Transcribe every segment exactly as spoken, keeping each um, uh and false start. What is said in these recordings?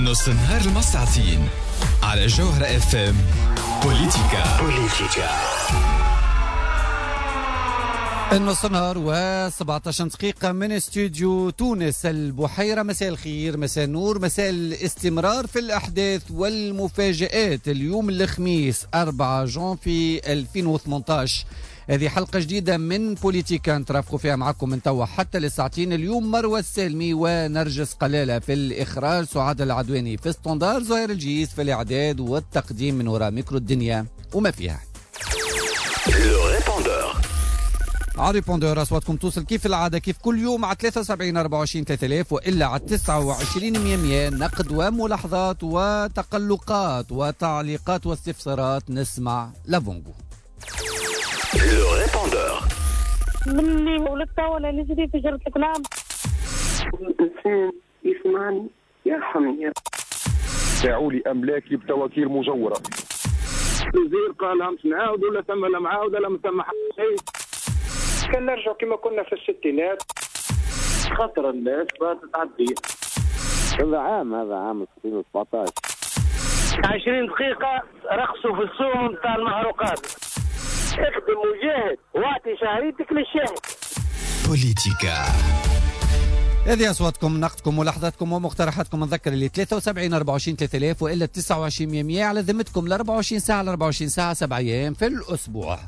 نص النهار المساعتين على جوهرة اف ام. بوليتيكا بوليتيكا النص نهار وسبعة عشر دقيقة من استوديو تونس البحيرة. مساء الخير، مساء النور، مساء الاستمرار في الأحداث والمفاجآت. اليوم الخميس أربعة جانفي ألفين وثمانية عشر، هذه حلقة جديدة من بوليتيكا نترافقوا فيها معكم من توا حتى للساعتين. اليوم مروى السالمي ونرجس قلالة في الإخراج، سعاد العدواني في standard، زهير الجيس في الإعداد والتقديم من وراء ميكرو الدنيا وما فيها. على répondeur اصواتكم توصل كيف العادة، كيف كل يوم، على ثلاثة وسبعين أربعة وعشرين ثلاثة آلاف والا على تسعة وعشرين مية مية. نقد وملاحظات وتقلقات وتعليقات واستفسارات، نسمع لافونغو. من اللي ولدت وانا نجري في جرة الكلام. الإنسان يسمعني يرحمني. باعوا لي املاكي بتواكيل مزوره. الوزير قال امس نعاود ولا ثم لا معاود لا ثم شيء. كان نرجع كما كنا في الستينات. خاطر الناس تعدي. هذا عام، هذا عام ألفين وسبعة عشر. عشرين دقيقة رخصوا في السوم نتاع المحروقات. اخدم وجاهد واعطي شهريتك للشاهد. بوليتيكا. هذه اصواتكم، نقدكم، ملاحظاتكم ومقترحاتكم. نذكر اللي ثلاثة وسبعين أربعة وعشرين ثلاثة آلاف والا تسعة وعشرين مية على ذمتكم ل أربعة وعشرين ساعة ل أربعة وعشرين ساعه، سبع ايام في الاسبوع.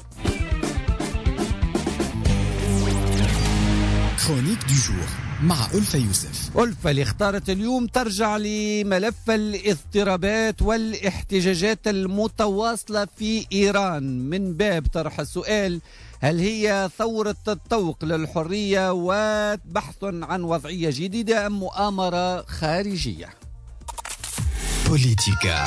chronique du jour مع ألفة يوسف. ألفة اللي اختارت اليوم ترجع لملف الاضطرابات والاحتجاجات المتواصلة في إيران من باب طرح السؤال: هل هي ثورة التوق للحرية وبحث عن وضعية جديدة أم مؤامرة خارجية؟ بوليتيكا.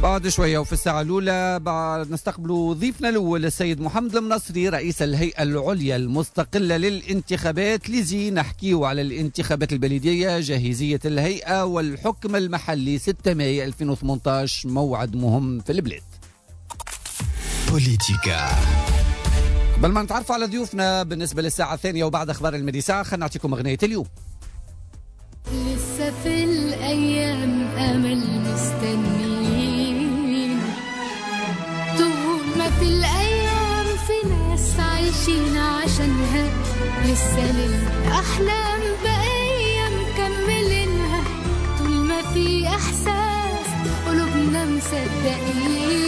بعد شوية وفي الساعة الأولى بعد نستقبل ضيفنا الأول السيد محمد المنصري، رئيس الهيئة العليا المستقلة للانتخابات l'ISIE. نحكيه على الانتخابات البلدية، جاهزية الهيئة والحكم المحلي ستة ماي ألفين وثمانية عشر، موعد مهم في البلاد. بوليتيكا. قبل ما نتعرف على ضيوفنا بالنسبة للساعة الثانية وبعد أخبار المدي ساعة، خلينا نعطيكم أغنية اليوم. لسه في الأيام أمل مستنيين، طول ما في الأيام في ناس عايشين عشانها، لسه للأحلام بقية مكملينها، طول ما في إحساس قلوبنا مصدقين.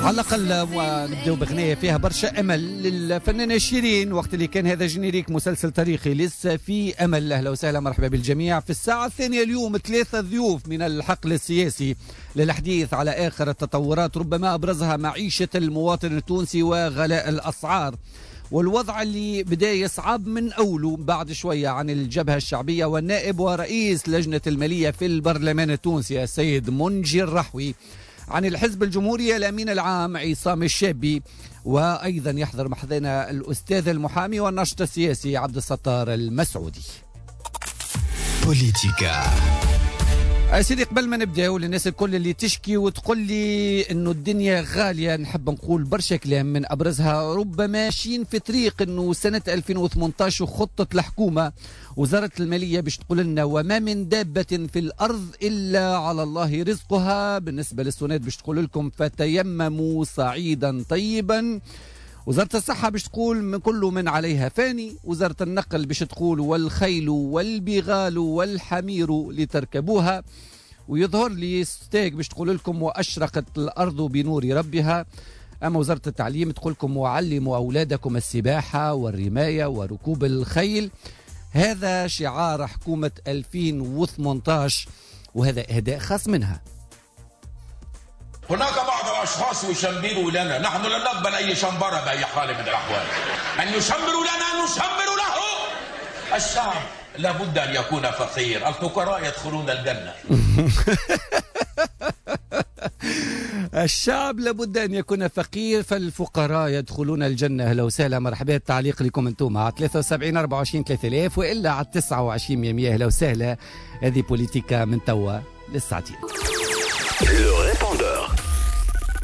على الأقل ونبداو بغنية فيها برشا أمل للفنانة شيرين وقت اللي كان هذا générique مسلسل تاريخي، لسه في أمل. أهلا وسهلا، مرحبا بالجميع. في الساعة الثانية اليوم ثلاثة ضيوف من الحقل السياسي للحديث على آخر التطورات، ربما أبرزها معيشة المواطن التونسي وغلاء الأسعار والوضع اللي بدا يصعب من أوله. بعد شوية عن الجبهة الشعبية والنائب ورئيس لجنة المالية في البرلمان التونسي السيد منجي الرحوي، عن الحزب الجمهوري الأمين العام عصام الشابي، وأيضا يحضر محضنا الأستاذ المحامي والناشط السياسي عبد الستار المسعودي. بوليتيكا. سيدي، قبل ما نبداو، للناس الكل اللي تشكي وتقول لي انه الدنيا غاليه، نحب نقول برشا كلام من ابرزها ربما ماشيين في طريق انه سنة ألفين وثمانية عشر وخطه الحكومة، وزارة المالية باش تقول لنا: وما من دابة في الارض الا على الله رزقها. بالنسبة للسوناد باش تقول لكم: فتيمموا صعيدا طيبا. وزارة الصحة باش تقول: من كل من عليها فاني. وزارة النقل باش تقول: والخيل والبغال والحمير لتركبوها. ويظهر لي ستاغ باش تقول لكم: وأشرقت الأرض بنور ربها. أما وزارة التعليم تقول لكم: وعلموا أولادكم السباحة والرماية وركوب الخيل. هذا شعار حكومة ألفين وثمانية عشر وهذا إهداء خاص منها. هناك بعض الأشخاص يشمروا لنا، نحن لن نقبل أي شمبرة بأي حال من الأحوال. من يشمر لنا نشمر له. الشعب لابد أن يكون فقير، الفقراء يدخلون الجنة. الشعب لابد أن يكون فقير فالفقراء يدخلون الجنة. أهلا وسهلا، مرحبا. التعليق لكم أنتم على ثلاثة وسبعين أربعة وعشرين ثلاثة آلاف وإلا على تسعة وعشرين مية. أهلا وسهلا، هذه بوليتيكا من توا للساعتين.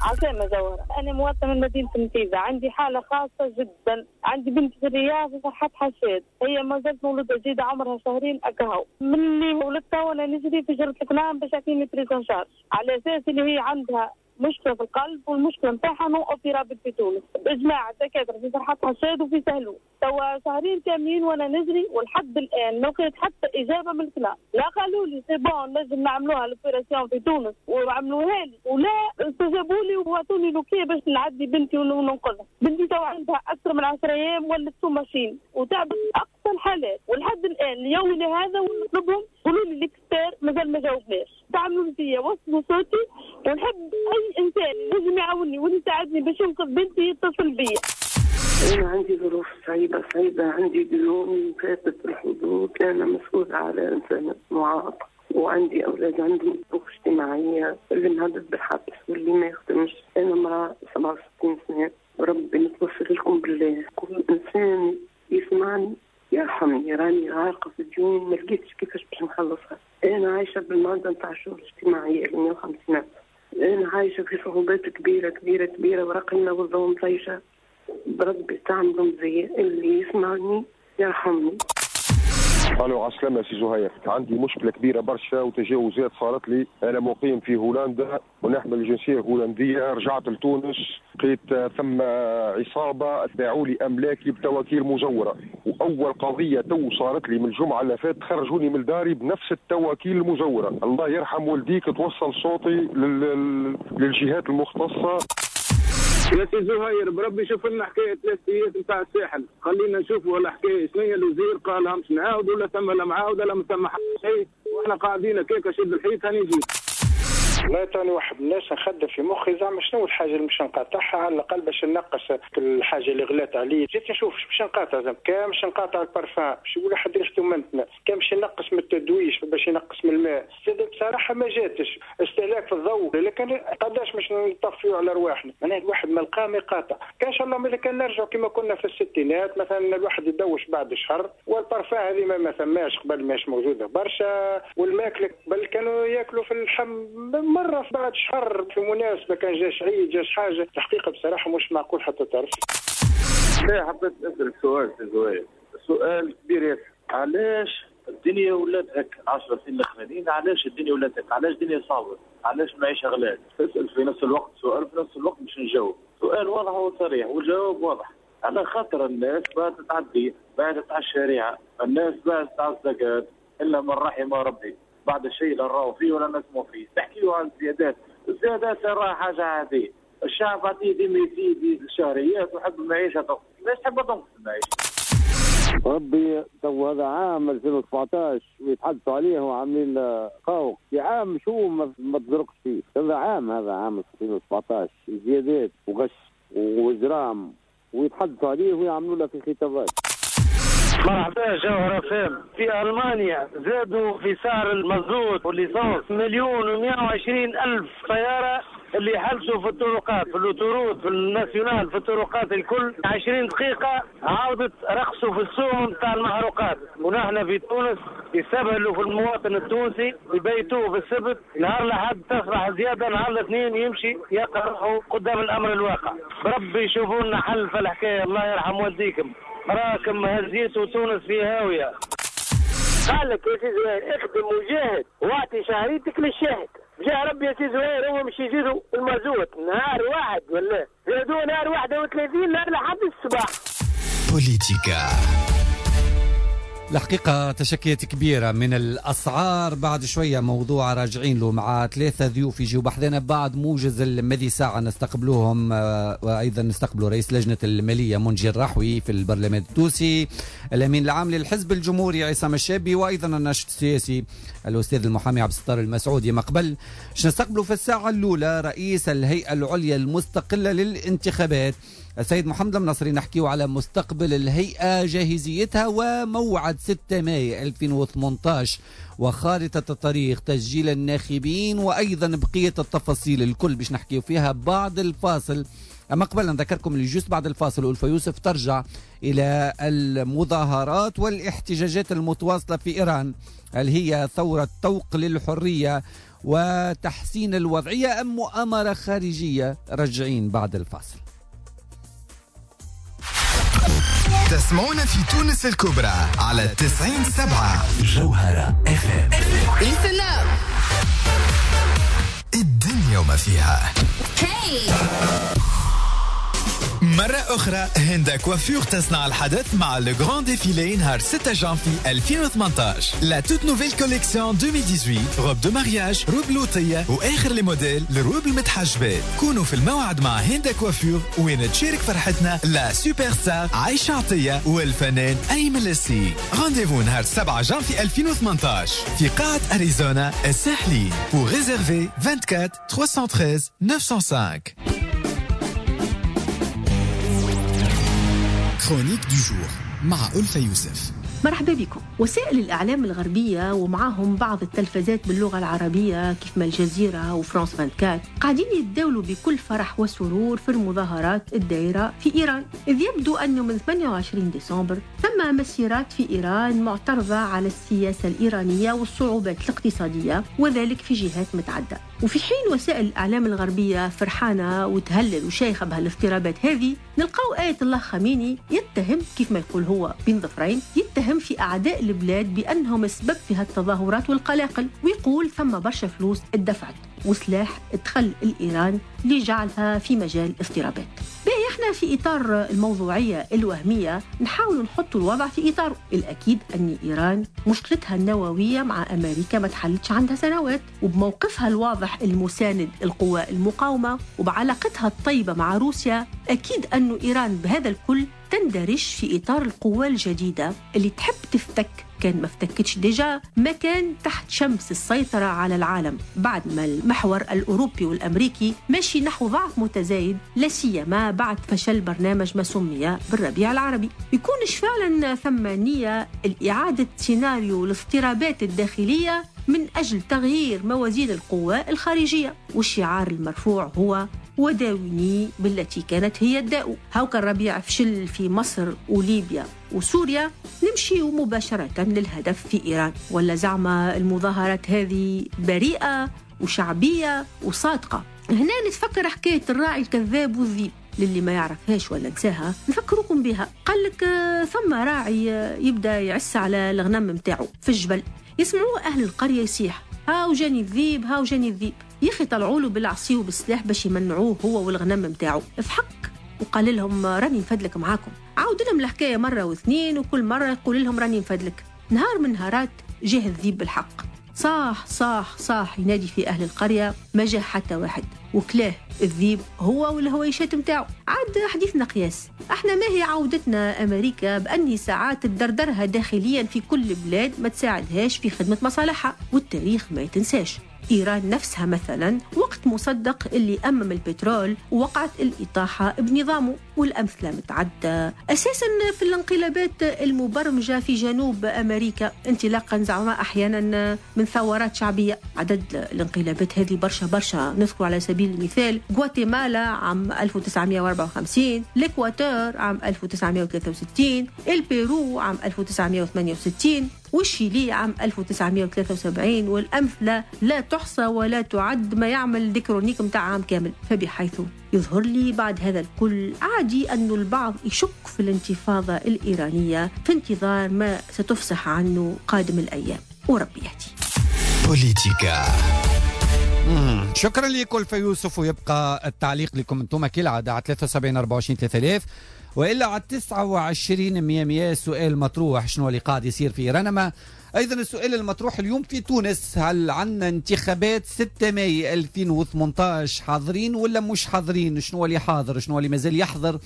عسامة جوهرة، أنا مواطنة من مدينة النفيذة، عندي حالة خاصة جدا، عندي بنت في الرياض في فرحات حشاد، هي ما زالت مولودة جديدة عمرها شهرين أكهو، من اللي ولدتها وأنا نجري في جرة الكلام باش يعطيني prise en charge، على أساس اللي هي عندها مشكلة في القلب والمشكلة نتاعها non opérable في تونس، بإجماع الدكاترة في فرحات حشاد وفي سهلو، توا شهرين كاملين وأنا نجري ولحد الآن ما لقيت حتى إجابة من الكلام، لا قالوا لي c'est bon نجم نعملوها l'opération في تونس وعملوها لي، ولا استجابوا لي وعطوني l'OK باش نعدي بنتي وننقذها، بنتي توا عندها أكثر من عشرة أيام ولت sous machine وتعبت أقصى الحالات، ولحد الآن ليومنا هذا ونطلبهم قولوا لي l'expert مازال ما جاوبناش، تعملوا فيا وصلوا صوتي ونحب أي إنسان لازم يعاوني ويساعدني باش ينقذ بنتي يتصل بيا. أنا عندي ظروف صعيبة صعيبة، عندي ديون فاتت الحدود، أنا مسؤولة على إنسان معاق وعندي أولاد عندهم ظروف اجتماعية، اللي مهدد بالحبس واللي ما يخدمش. أنا امرأة سبعة وستين سنة، ربي نتوسل لكم بالله كل إنسان يسمعني يرحمني، راني غارقة في الديون ما لقيتش كيفاش باش نخلصها. أنا عايشة بالمادة نتاع الشغل الاجتماعية مية وخمسين ألف، أنا عايشة في صعوبات كبيرة كبيرة كبيرة ورقنا والضوء مطيشة. بربي تعملوا زي اللي يسمعني يرحمني. الو عسلامة سي زهير، عندي مشكلة كبيرة برشا وتجاوزات صارت لي. أنا مقيم في هولندا ونحمل الجنسية الهولندية، رجعت لتونس لقيت ثم عصابة باعوا لي أملاكي بتواكيل مزورة، وأول قضية تو صارت لي من الجمعة اللي فاتت خرجوني من داري بنفس التواكيل المزورة. الله يرحم والديك توصل صوتي لل... للجهات المختصة. يا سي زهير بربي شوف لنا حكاية ثلاث نتاع الساحل، خلينا نشوفوا الحكاية شنو هي. الوزير قال مش نعاود ولا ثم لا معاوده لا ثم حتى شيء، واحنا قاعدين كيكة شد الحيط هاني جيت. والله تاني واحد من الناس نخدم في مخي زعما شنو الحاجة اللي مش نقاطعها على الاقل باش نقص الحاجة اللي غلات عليا. جيت نشوف باش نقاطع زعما كان باش نقاطع البارفان باش يقول واحد ريحته منتنة، كان باش نقص من التدويش باش ينقص من الماء. زاد بصراحة ما جاتش استهلاك في الضوء، لكن قداش باش نطفيو على رواحنا. معناها الواحد ما لقى ما يقاطع. كان ان شاء الله ملي كان نرجعوا كما كنا في الستينات مثلا الواحد يدوش بعد شهر، والبارفان هذه ما, ما ثماش قبل ماش موجودة برشا، والماكله قبل كانوا ياكلوا في اللحم مرة بعد شهر في مناسبة، كان جاش عيد جاش حاجة. الحقيقة بصراحة مش معقول حتى طرف. لا حبيت نسأل سؤال سي زهير، سؤال كبير ياسر. علاش الدنيا ولات هكا عشر سنين الاخرانيين؟ علاش الدنيا ولات هكا؟ علاش الدنيا صعبة؟ علاش المعيشة غلات؟ تسأل في نفس الوقت سؤال في نفس الوقت باش نجاوب. سؤال واضح وصريح والجواب واضح. على خاطر الناس بعدت على الدين، بعدت على الشريعة، الناس بعدت على الزكاة، إلا من رحم ربي. بعد الشيء لا نراو فيه ولا نسمعوا فيه. تحكيوا عن الزيادات، الزيادات راها حاجة عادية، الشعب عادي ديما يزيد الشهريات ويحب المعيشة تنقص، علاش تحب تنقص المعيشة؟ ربي تو هذا عام ألفين وسبعطاش ويتحدثوا عليه وعاملين قوق في عام شو ما تزرقش فيه، هذا عام هذا عام ألفين وسبعطاش زيادات وغش وإجرام ويتحدثوا عليه ويعملوا له في خطابات. مرحبا جوهرة فام. في ألمانيا زادوا في سعر المازوت وال essence مليون ومئة وعشرين ألف سيارة اللي حلسوا في الطرقات، في l'autoroute، في ال nationale، في الطرقات الكل. عشرين دقيقة عاودت رقصوا في السوم نتاع المحروقات. ونحن في تونس يستبهلوا في المواطن التونسي، يبيتوه في السبت، نهار لحد تصبح زيادة، نهار الاثنين يمشي يقرحوا قدام الأمر الواقع. بربي يشوفوا لنا حل في الحكاية، الله يرحم والديكم. راكم هزيتوا تونس في هاوية. قال لك يا سي زهير اخدم وجاهد واعطي شهريتك للشاهد. جا ربي يا سي زهير هو مش يزيدوا المازوت نهار واحد ولا زادوه نهار واحد وثلاثين نهار لحد الصباح. بوليتيكا الحقيقة تشكيات كبيرة من الأسعار. بعد شوية موضوع راجعين له مع ثلاثة ضيوف يجيو بحذنا بعد موجز المذي ساعة نستقبلوهم، وأيضا نستقبلوا رئيس لجنة المالية منجي الرحوي في البرلمان التونسي، الأمين العام للحزب الجمهوري عصام الشابي، وأيضا الناشط السياسي الأستاذ المحامي عبد الستار المسعودي. ما قبل نستقبلوا في الساعة الأولى رئيس الهيئة العليا المستقلة للانتخابات السيد محمد المنصري، نحكيه على مستقبل الهيئة، جاهزيتها، وموعد ستة مايو ألفين وثمانية عشر وخارطة الطريق، تسجيل الناخبين، وأيضا بقية التفاصيل الكل باش نحكيه فيها بعد الفاصل. أما قبل نذكركم اللي juste بعد الفاصل ألفا يوسف ترجع إلى المظاهرات والاحتجاجات المتواصلة في إيران، هل هي ثورة طوق للحرية وتحسين الوضعية أم مؤامرة خارجية؟ رجعين بعد الفاصل. تسمعونا في تونس الكبرى على تسعين سبعة جوهرة اف ام. Listen up. الدنيا وما فيها. Hey. مرة أخرى هندا كوافور تصنع الحدث مع le grand défilé نهار ستة جانفي ألفين وثمانطاش. la toute nouvelle collection ألفين وثمنطاش، robes de mariage، robes لوطية وآخر les modèles لل robes المتحجبات. كونوا في الموعد مع هندا كوافور وين تشارك فرحتنا la superstar عايشة عطية والفنان أيمن لسي. rendez-vous نهار سبعة جانفي ألفين وثمنطاش في قاعة أريزونا الساحلي. Pour réserver أربعة وعشرين ثلاثمية وثلاثة عشر تسعمية وخمسة. chronique du jour مع ألفة يوسف. مرحبا بكم. وسائل الإعلام الغربية ومعاهم بعض التلفزات باللغة العربية كيف ما الجزيرة وفرانس أربعة وعشرين قاعدين يتداولوا بكل فرح وسرور في المظاهرات الدائرة في إيران، إذ يبدو أنه من ثمانية وعشرين ديسمبر ثم مسيرات في إيران معترضة على السياسة الإيرانية والصعوبات الاقتصادية، وذلك في جهات متعددة. وفي حين وسائل الإعلام الغربية فرحانة وتهلل وشايخة بهالاضطرابات هذه، نلقاو آية الله خامنئي يتهم كيف ما يقول هو بين ظفرين، يتهم في أعداء البلاد بأنهم السبب في هالتظاهرات والقلاقل، ويقول ثم برشا فلوس اتدفعت وسلاح ادخل الإيران لجعلها في مجال اضطرابات. باهي احنا في إطار الموضوعية الوهمية نحاول نحط الوضع في إطاره. الأكيد أن إيران مشكلتها النووية مع أمريكا ما تحلتش عندها سنوات، وبموقفها الواضح المساند القوى المقاومة وبعلاقتها الطيبة مع روسيا، أكيد أن إيران بهذا الكل تندرج في إطار القوى الجديدة اللي تحب تفتك كان ما افتكتش déjà ما كان تحت شمس السيطرة على العالم، بعد ما المحور الأوروبي والأمريكي ماشي نحو ضعف متزايد، لا سيما بعد فشل برنامج ما سمي بالربيع العربي. يكونش فعلا ثم نية لإعادة سيناريو الاضطرابات الداخلية من أجل تغيير موازين القوى الخارجية، والشعار المرفوع هو وداوني بالتي كانت هي الداء. هاوك الربيع فشل في مصر وليبيا وسوريا، نمشي مباشرة للهدف في إيران. ولا زعما المظاهرات هذه بريئة وشعبية وصادقة؟ هنا نتفكر حكاية الراعي الكذاب والذيب، للي ما يعرفهاش ولا نساها نفكركم بها. قال لك ثم راعي يبدأ يعس على الغنم متاعه في الجبل، يسمعوه أهل القرية يصيح هاو جاني الذيب هاو جاني الذيب، يخي طلعوا له بالعصي وبالسلاح باش يمنعوه هو والغنم متاعه. فحك وقال لهم راني نفدلك معاكم. عاود لهم الحكاية مرة واثنين، وكل مرة يقول لهم راني نفدلك. نهار من نهارات جه الذيب بالحق، صاح صاح صاح ينادي في أهل القرية، ما جه حتى واحد، وكلاه الذيب هو والهويشات متاعه. عاد حديثنا قياس، احنا ما هي عودتنا أمريكا بأني ساعات تدردرها داخليا في كل بلاد ما تساعدهاش في خدمة مصالحها، والتاريخ ما يتنساش. إيران نفسها مثلا وقت مصدق اللي أمم البترول وقعت الإطاحة بنظامه، والأمثلة متعدة. أساسا في الانقلابات المبرمجة في جنوب أمريكا انطلاقا زعما أحيانا من ثورات شعبية. عدد الانقلابات هذه برشا برشا، نذكر على سبيل المثال غواتيمالا عام ألف وتسعمائة وأربعة وخمسين، الإكواتور عام ألف وتسعمائة وثلاثة وستين، البيرو عام ألف وتسعمائة وثمانية وستين، والشيلي عام ألف وتسعمائة وثلاثة وسبعين، والأمثلة لا تحصى ولا تعد، ما يعمل des chroniques متاع عام كامل. فبحيث يظهر لي بعد هذا الكل عادي أن البعض يشك في الانتفاضة الإيرانية في انتظار ما ستفصح عنه قادم الأيام، وربي يهدي. بوليتيكا. شكرا لكم ألفة يوسف، ويبقى التعليق لكم انتم كالعادة على ثلاثة وسبعين أربعة وعشرين ثلاثة آلاف وإلا على تسعة وعشرين مية مية. سؤال مطروح، شنو اللي قاعد يصير في إيران؟ أما أيضا السؤال المطروح اليوم في تونس، هل عندنا انتخابات ستة ماي ألفين وثمانطاش حاضرين ولا مش حاضرين؟ شنو اللي حاضر، شنو اللي مازال يحضر،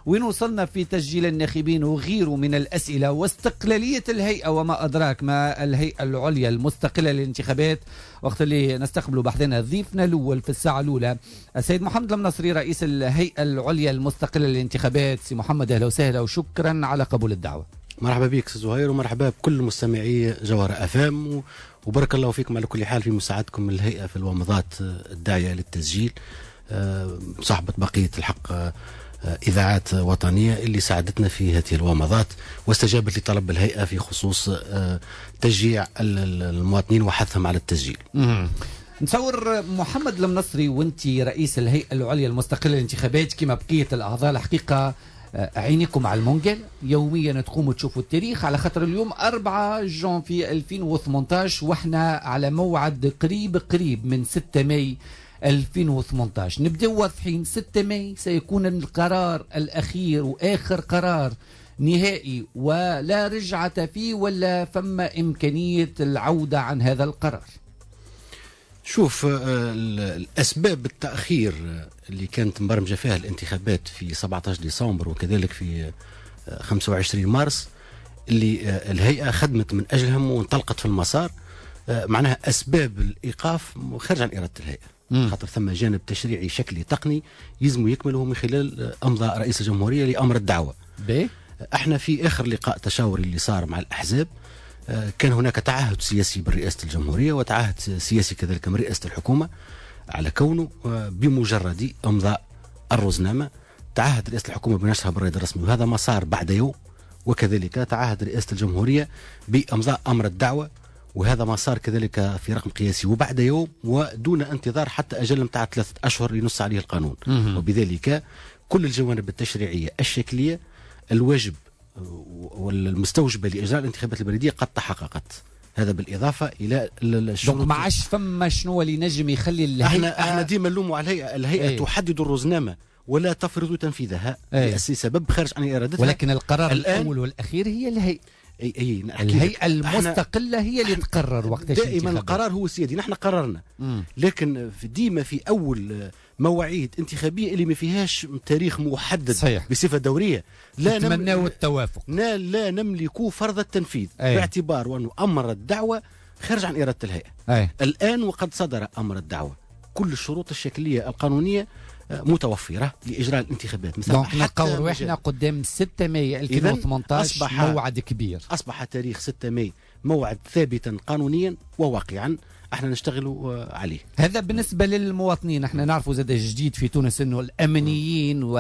وين وصلنا في تسجيل الناخبين وغيره من الأسئلة، واستقلالية الهيئة وما أدراك ما الهيئة العليا المستقلة للانتخابات. وقت اللي نستقبل بحثنا ضيفنا الأول في الساعة الأولى السيد محمد المنصري رئيس الهيئة العليا المستقلة للانتخابات. سي محمد أهلا وسهلا وشكرا على قبول الدعوة. مرحبا بك سي زهير، ومرحبا بكل مستمعي جوهرة أفام، وبارك الله فيكم على كل حال في مساعدتكم الهيئة في الومضات الداعية للتسجيل، صحبة بقية الحق إذاعات وطنية اللي ساعدتنا في هذه الومضات واستجابت لطلب الهيئة في خصوص تشجيع المواطنين وحثهم على التسجيل. نصور محمد المنصري وانت رئيس الهيئة العليا المستقلة للانتخابات كما بقية الأعضاء، الحقيقة عينيكم على المونجل يوميا تقوموا تشوفوا التاريخ، على خاطر اليوم أربعة جانفي ألفين وثمانطاش واحنا على موعد قريب قريب من ستة ماي ألفين وثمانطاش. نبداو واضحين، ستة ماي سيكون القرار الأخير وآخر قرار نهائي ولا رجعة فيه ولا فما إمكانية العودة عن هذا القرار. شوف، الأسباب التأخير اللي كانت مبرمجة فيها الانتخابات في سبعة عشر ديسمبر وكذلك في خمسة وعشرين مارس اللي الهيئة خدمت من أجلهم وانطلقت في المسار، معناها أسباب الإيقاف خارج عن إرادة الهيئة، خاطر ثم جانب تشريعي شكلي تقني يلزم يكمله من خلال أمضاء رئيس الجمهورية لأمر الدعوة. ب؟ احنا في آخر لقاء تشاوري اللي صار مع الأحزاب كان هناك تعهد سياسي من رئاسة الجمهورية وتعهد سياسي كذلك من رئاسة الحكومة على كونه بمجرد إمضاء الرزنامة تعهد رئاسة الحكومة بنشرها بالرائد الرسمي، وهذا ما صار بعد يوم، وكذلك تعهد رئاسة الجمهورية بإمضاء أمر الدعوة، وهذا ما صار كذلك في رقم قياسي وبعد يوم ودون انتظار حتى أجل متاع ثلاثة أشهر ينص عليه القانون. وبذلك كل الجوانب التشريعية الشكلية الواجب والمستوجبة لإجراء الانتخابات البلدية قد تحققت. هذا بالإضافة إلى الشروط. ما عادش فما شنو اللي نجم يخلي الهيئة، احنا احنا ديما نلوموا على الهيئة، الهيئة ايه؟ تحدد الرزنامة ولا تفرض تنفيذها أي لسبب خارج عن إرادتها، ولكن القرار الأول والأخير هي الهيئة. اي اي الهيئة المستقلة هي اللي تقرر وقتاش دائما القرار هو السيادي، نحن قررنا. مم. لكن ديما في أول مواعيد انتخابية اللي ما فيهاش تاريخ محدد صحيح. بصفة دورية لا نتمناو التوافق، لا, لا نملك فرض التنفيذ. أي. باعتبار أنه أمر الدعوة خارج عن إرادة الهيئة. أي. الآن وقد صدر أمر الدعوة، كل الشروط الشكلية القانونية متوفرة لإجراء الانتخابات. مثلا نلقاو رواحنا قدام ستة ماي ألفين وثمانطاش موعد كبير. أصبح تاريخ ستة ماي موعد ثابتا قانونيا وواقعا احنا نشتغل عليه. هذا بالنسبة للمواطنين. احنا نعرفوا زاد الجديد في تونس انه الامنيين و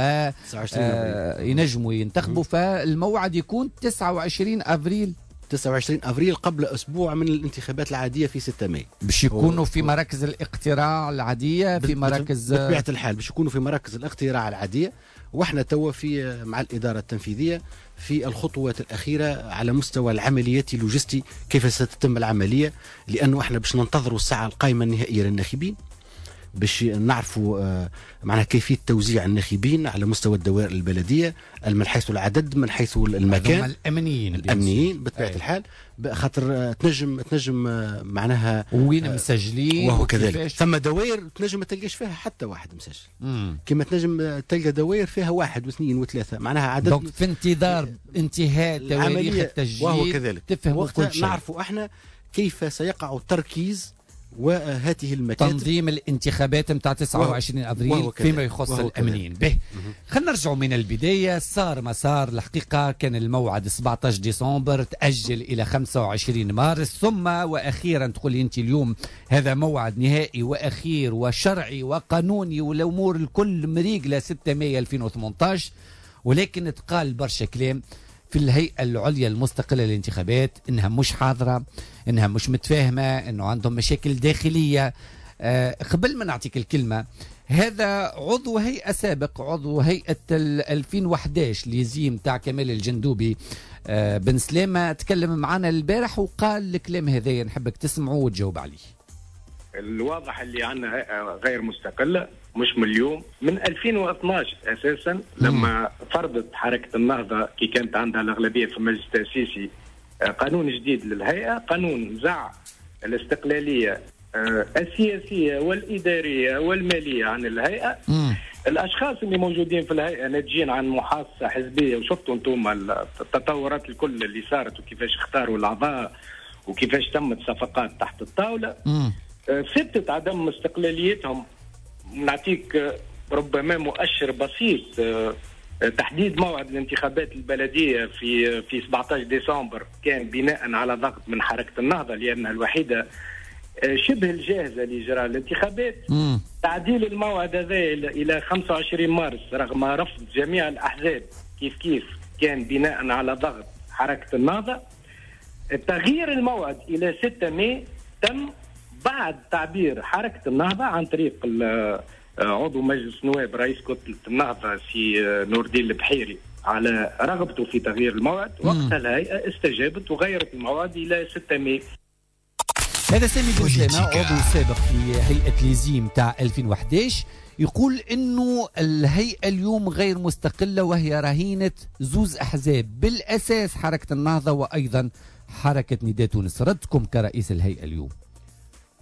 آه ينجموا ينتخبوا، فالموعد يكون تسعة وعشرين افريل. تسعة وعشرين افريل قبل اسبوع من الانتخابات العادية في ستة ماي باش يكونوا في مراكز الاقتراع العادية، في مراكز بطبيعة الحال باش يكونوا في مراكز الاقتراع العادية. واحنا توا في مع الادارة التنفيذية في الخطوات الاخيرة على مستوى العمليات اللوجستي كيف ستتم العملية، لانه احنا باش ننتظروا الساعة القائمة النهائية للناخبين باش نعرفوا معناها كيفية توزيع الناخبين على مستوى الدوائر البلدية، من حيث العدد، من حيث المكان، الامنيين الامنيين بطبيعة أي. الحال، خاطر تنجم تنجم معناها وين مسجلين وهو كذلك. ثم دوائر تنجم ما تلقاش فيها حتى واحد مسجل، كما تنجم تلقى دوائر فيها واحد واثنين وثلاثة، معناها عدد. donc في انتظار انتهاء تواريخ التسجيل وهو كذلك تفهموا كل شيء، نعرفوا احنا كيف سيقع التركيز وهذه المكاتب تنظيم الانتخابات نتاع تسعة وعشرين افريل فيما يخص الامنيين. به خلينا نرجعوا من البداية. صار ما صار الحقيقة، كان الموعد سبعة عشر ديسمبر تاجل الى خمسة وعشرين مارس، ثم واخيرا تقول لي انت اليوم هذا موعد نهائي واخير وشرعي وقانوني والامور الكل مريقله ستة ماي ألفين وثمانطاش، ولكن تقال برشا كلام في الهيئة العليا المستقلة للانتخابات إنها مش حاضرة، إنها مش متفاهمة، إنه عندهم مشاكل داخلية. أه قبل ما نعطيك الكلمة، هذا عضو هيئة سابق، عضو هيئة ألفين وأحد عشر ليزيم تاع كمال الجندوبي أه بن سلامة، تكلم معنا البارح وقال الكلام هذايا، نحبك تسمعه وتجاوب عليه. الواضح اللي عندنا هيئة غير مستقلة مش من اليوم، من ألفين واثناش اساسا لما فرضت حركة النهضة كي كانت عندها الاغلبية في المجلس التاسيسي قانون جديد للهيئة، قانون زع الاستقلالية السياسية والادارية والمالية عن الهيئة. مم. الاشخاص اللي موجودين في الهيئة ناتجين عن محاصصه حزبية، وشفتوا انتم التطورات الكل اللي صارت وكيفاش اختاروا الاعضاء وكيفاش تمت صفقات تحت الطاولة. مم. ثبتت عدم استقلاليتهم. نعطيك ربما مؤشر بسيط، تحديد موعد الانتخابات البلدية في في سبعة عشر ديسمبر كان بناء على ضغط من حركة النهضة لانها الوحيدة شبه الجاهزة لاجراء الانتخابات. مم. تعديل الموعد هذا الى خمسة وعشرين مارس رغم رفض جميع الاحزاب كيف كيف كان بناء على ضغط حركة النهضة. تغيير الموعد الى ستة ماي تم بعد تعبير حركة النهضة عن طريق عضو مجلس النواب رئيس كتلة النهضة سي نور الدين البحيري على رغبته في تغيير الموعد، وقتها الهيئة استجابت وغيرت الموعد الى ستة ماي. هذا سامي بن سلامة عضو سابق في هيئة ليزيم تاع ألفين وأحد عشر يقول انه الهيئة اليوم غير مستقلة وهي رهينة زوز احزاب بالاساس حركة النهضة وايضا حركة نداء تونس. ردكم كرئيس الهيئة اليوم؟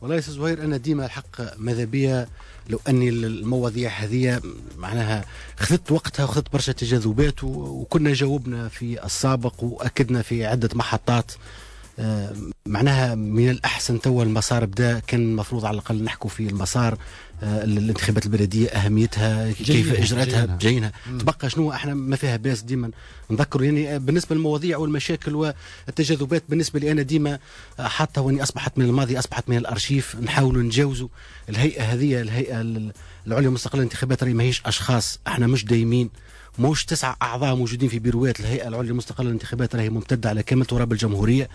والله يا استاذ زهير انا ديما الحق ماذا بيا لو اني المواضيع هذه معناها خذت وقتها وخذت برشا تجاذبات، وكنا جاوبنا في السابق واكدنا في عده محطات. معناها من الأحسن توا المسار بدأ، كان المفروض على الأقل نحكوا في المسار الانتخابات البلدية أهميتها كيف إجراءاتها جايينها تبقى شنو احنا ما فيها باس ديما نذكر. يعني بالنسبة للمواضيع والمشاكل والتجاذبات بالنسبة لي أنا ديما حتى واني أصبحت من الماضي، أصبحت من الأرشيف، نحاولوا نجاوزوا. الهيئة هذه الهيئة العليا المستقلة للانتخابات راهي ماهيش أشخاص، احنا مش دايمين، موش تسعة أعضاء موجودين في بيروات الهيئة العليا المستقلة للانتخابات، راهي ممتدة على كامل تراب الجمهورية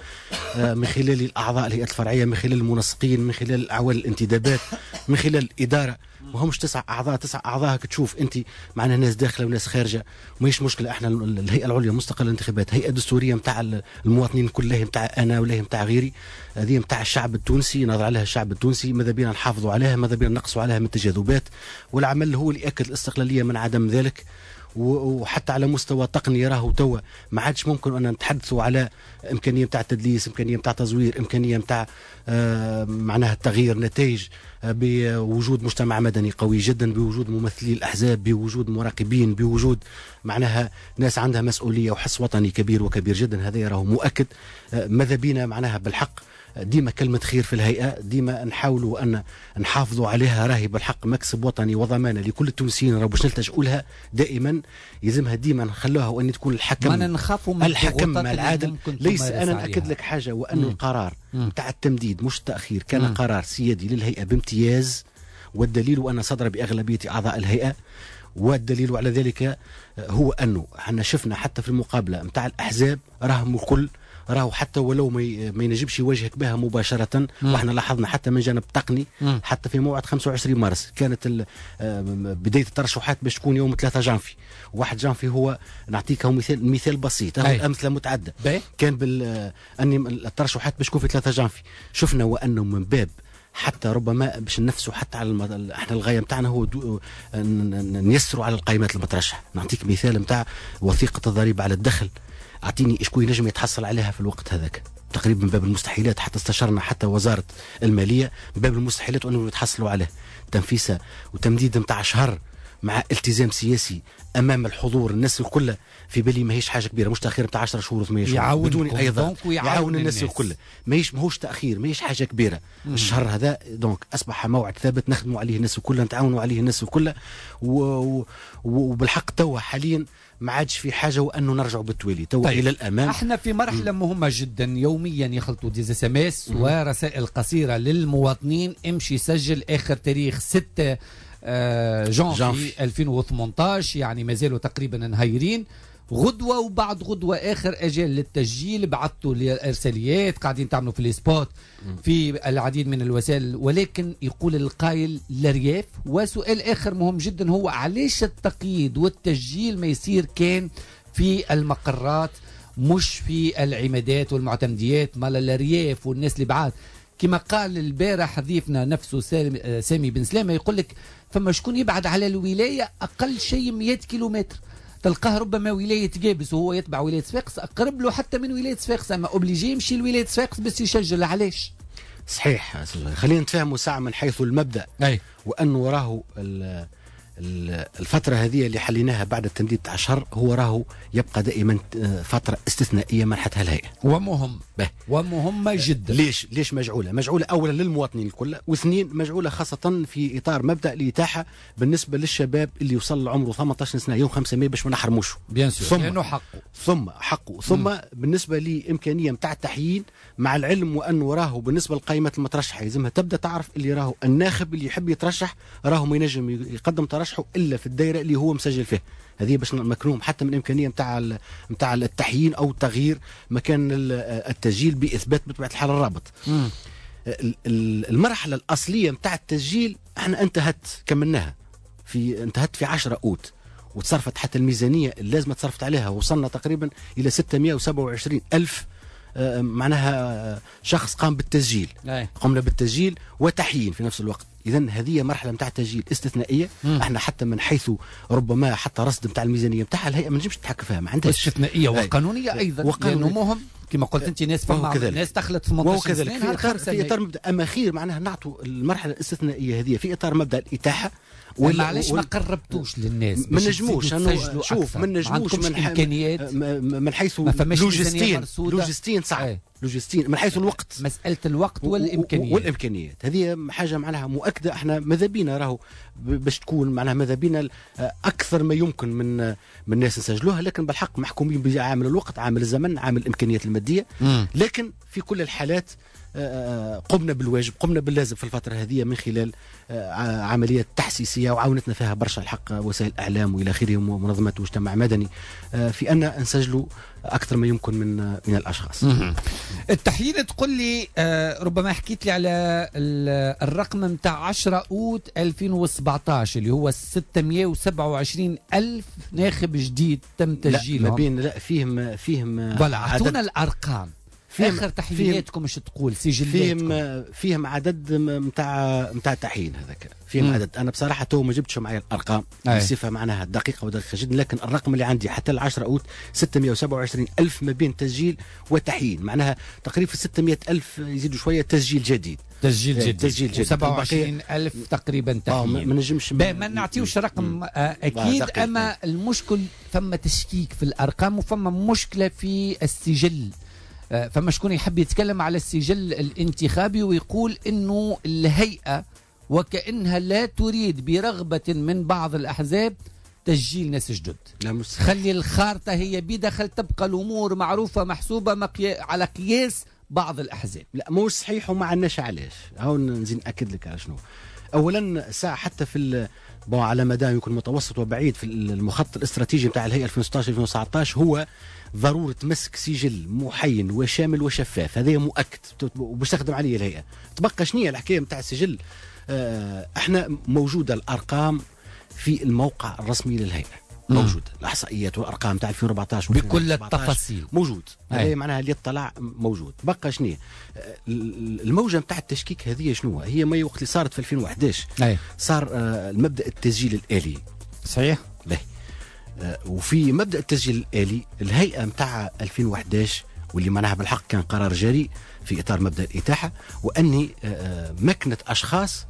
من خلال الأعضاء الهيئات الفرعية، من خلال المنسقين، من خلال أعوان الانتدابات، من خلال الإدارة. ما همش تسعة أعضاء، تسعة أعضاء تشوف أنت معنا ناس داخلة وناس خارجة، ماهيش مشكلة. احنا الهيئة العليا المستقلة للانتخابات هيئة دستورية نتاع المواطنين كلها، نتاع أنا ولا نتاع غيري، هذه نتاع الشعب التونسي، نظر عليها الشعب التونسي، ماذا بينا نحافظوا عليها، ماذا بينا نقصوا عليها من التجاذبات، والعمل هو اللي يأكد الاستقلالية من عدم ذلك. وحتى على مستوى تقني راهو توا ما عادش ممكن ان نتحدثوا على امكانية نتاع تدليس، امكانية نتاع تزوير، امكانية نتاع آه معناها تغيير نتائج، آه بوجود مجتمع مدني قوي جدا، بوجود ممثلي الاحزاب، بوجود مراقبين، بوجود معناها ناس عندها مسؤولية وحس وطني كبير وكبير جدا. هذا راهو مؤكد. آه ماذا بينا معناها بالحق ديما كلمة خير في الهيئة، ديما نحاولوا أن نحافظوا عليها، راهي بالحق مكسب وطني وضمانة لكل التونسيين، راهو باش نلتجئوا لها دائما، يلزمها ديما نخلوها وأن تكون الحكم، نخافوا من الحكم العادل. ليس أنا نأكد لك حاجة، وأن القرار نتاع التمديد مش التأخير كان مم. قرار سيادي للهيئة بامتياز، والدليل أن صدر بأغلبية أعضاء الهيئة، والدليل على ذلك هو أنه احنا شفنا حتى في المقابلة نتاع الأحزاب راهم الكل راهو حتى ولو ما ينجمش يواجهك بها مباشرة، واحنا لاحظنا حتى من جانب تقني مم. حتى في موعد خمسة وعشرين مارس كانت بداية الترشحات باش تكون يوم ثلاثة جانفي، واحد جانفي هو نعطيك مثال مثال بسيط، أمثلة متعددة. كان بال أني الترشحات باش تكون في ثلاثة جانفي، شفنا وأنه من باب حتى ربما باش ننفسوا حتى على المد... احنا الغاية نتاعنا هو دو... نيسروا على القائمات المترشحه. نعطيك مثال نتاع وثيقة الضريبة على الدخل، اعطيني شكون ينجم يتحصل عليها في الوقت هذاك، تقريبا من باب المستحيلات، حتى استشرنا حتى وزارة المالية من باب المستحيلات وانه يتحصلوا عليه. تنفيسه وتمديد نتاع شهر مع التزام سياسي امام الحضور الناس الكل، في بالي ماهيش حاجة كبيرة، مش تاخير نتاع عشرة شهور وثمانية شهور بدون ايضا يعاون الناس الكل، ماهيش ماهوش تاخير، ماهيش حاجة كبيرة. مم. الشهر هذا donc اصبح موعد ثابت نخدموا عليه الناس الكل، نتعاونوا عليه الناس الكل، وبالحق توا حاليا ما عادش في حاجة وانه نرجعوا بالتوالي توا. طيب. الى الامام احنا في مرحلة مم. مهمة جدا، يوميا يخلطوا des SMS ورسائل قصيرة للمواطنين، امشي سجل اخر تاريخ ستة جانفي ألفين وثمانية عشر، يعني ما زالوا تقريبا نهيرين. غدوة وبعد غدوة آخر أجل للتسجيل، بعثتوا الإرساليات، قاعدين تعملوا في ال spots في العديد من الوسائل، ولكن يقول القائل للرياف. وسؤال آخر مهم جدا هو علاش التقييد والتسجيل ما يصير كان في المقرات مش في العمادات والمعتمديات مال الرياف والناس اللي بعاد؟ كما قال البارح ضيفنا نفسه سامي بن سلامة، يقول لك فما شكون يبعد على الولاية أقل شيء مئة كيلومتر، تلقاه ربما ولاية جابس وهو يتبع ولاية صفاقس، أقرب له حتى من ولاية صفاقس، أما obligé يمشي لولاية صفاقس باش يسجل. علاش؟ صحيح، خلينا نتفاهموا ساعة من حيث المبدأ. أي. وأنه راهو الفترة هذه اللي حليناها بعد التمديد تاع شهر هو راهو يبقى دائما فترة استثنائية منحتها الهيئة، ومهم به. ومهمة جدا. ليش ليش مجعولة؟ مجعولة أولا للمواطنين الكل، واثنين مجعولة خاصة في إطار مبدأ الإتاحة بالنسبة للشباب اللي وصل لعمره ثمانية عشر سنة يوم خمسة ماي باش ما نحرموش، bien sûr لأنه حقه، ثم حقه، ثم مم. بالنسبة لإمكانية نتاع التحيين، مع العلم وأنه راهو بالنسبة للقائمات المترشحة يلزمها تبدأ تعرف اللي راهو الناخب اللي يحب يترشح راهو ما ينجم يقدم ترشحه الا في الدائرة اللي هو مسجل فيها. هذه باش مكروم حتى من امكانية نتاع نتاع التحيين او تغيير مكان التسجيل باثبات بطبيعة الحال الرابط. مم. المرحلة الاصلية نتاع التسجيل احنا انتهت، كملناها في انتهت في عشرة اوت، وتصرفت حتى الميزانية اللازمة تصرفت عليها، وصلنا تقريبا الى ستمائة وسبعة وعشرين ألف معناها شخص قام بالتسجيل. أي. قمنا بالتسجيل وتحيين في نفس الوقت. اذا هذه مرحلة نتاع تسجيل استثنائية. مم. احنا حتى من حيث ربما حتى رصد نتاع الميزانية نتاعها الهيئة ما نجمش تتحكم فيها، ما عندهاش. استثنائية وقانونيه ايضا، وقانونيه مهم كما قلت انت، ناس فما ناس دخلت ثمنطاش سنة في اطار في اطار مبدا، اما خير معناها نعطوا المرحلة الاستثنائية هذه في اطار مبدا الاتاحه. ولا علاش ما قربتوش للناس؟ ما نجموش، شوف ما نجموش من امكانيات، من حيث لوجستيا لوجستيا صعب، لوجستيا من حيث الوقت، مسالة الوقت والامكانيات والامكانيات هذه حاجة معناها مؤكدة. احنا ماذا بينا راهو باش تكون معناها ماذا بينا اكثر ما يمكن من من الناس نسجلوها، لكن بالحق محكومين بعامل الوقت، عامل الزمن، عامل الامكانيات المادية. مم. لكن في كل الحالات قمنا بالواجب، قمنا باللازم في الفترة هذه من خلال عمليات تحسيسية وعاونتنا فيها برشا الحق وسائل الإعلام وإلى آخره ومنظمات مجتمع مدني في أن نسجلوا أكثر ما يمكن من من الأشخاص. التحيين تقول لي ربما حكيت لي على الرقم نتاع عشرة أوت ألفين وسبعطاش اللي هو ستمائة وسبعة وعشرين ألف ناخب جديد تم تسجيلهم. لا ما بين لا فيهم فيهم voilà، أعطونا الأرقام. اخر تحييناتكم ايش تقول سجلاتكم؟ فيهم فيهم عدد نتاع نتاع تحيين هذاك، فيهم مم. عدد. انا بصراحة تو ما جبتش معايا الارقام بصفة معناها دقيقة ودقيقة جدا، لكن الرقم اللي عندي حتى العشرة اوت ستمائة وسبعة وعشرين ألف ما بين تسجيل وتحيين، معناها تقريبا ستمائة ألف يزيدوا شوية تسجيل جديد. تسجيل جديد تسجيل جديد سبعة وعشرين ألف تقريبا تحيين. ما نجمش ما نعطيوش رقم اكيد، اما المشكل فما تشكيك في الارقام وفما مشكلة في السجل. فما شكون يحب يتكلم على السجل الانتخابي ويقول انه الهيئة وكأنها لا تريد برغبة من بعض الأحزاب تسجيل ناس جدد. خلي الخارطة هي بدخل، تبقى الأمور معروفة محسوبة مقي... على قياس بعض الأحزاب. لا مش صحيح وما عندناش علاش. هاو نزيد نأكد لك على شنو. أولا ساعة حتى في bon على مدى يكون متوسط وبعيد في المخطط الاستراتيجي نتاع الهيئة ألفين وستطاش ألفين وتسعطاش هو ضرورة مسك سجل محين وشامل وشفاف، هذا مؤكد وباش تخدم عليه الهيئة. تبقى شنو هي الحكاية نتاع السجل؟ آه احنا موجودة الأرقام في الموقع الرسمي للهيئة، موجود الاحصائيات والارقام تاع ألفين وأربعطاش بكل التفاصيل موجود، هذا معناها اللي اطلع موجود. بقى شنو الموجه نتاع التشكيك هذه؟ شنو هي؟ ما وقت اللي صارت في ألفين وأحداش صار المبدا التسجيل الالي. صحيح. باهي. وفي مبدا التسجيل الالي الهيئة نتاع ألفين وأحداش واللي معناها بالحق كان قرار جريء في اطار مبدا الاتاحه، واني مكنت اشخاص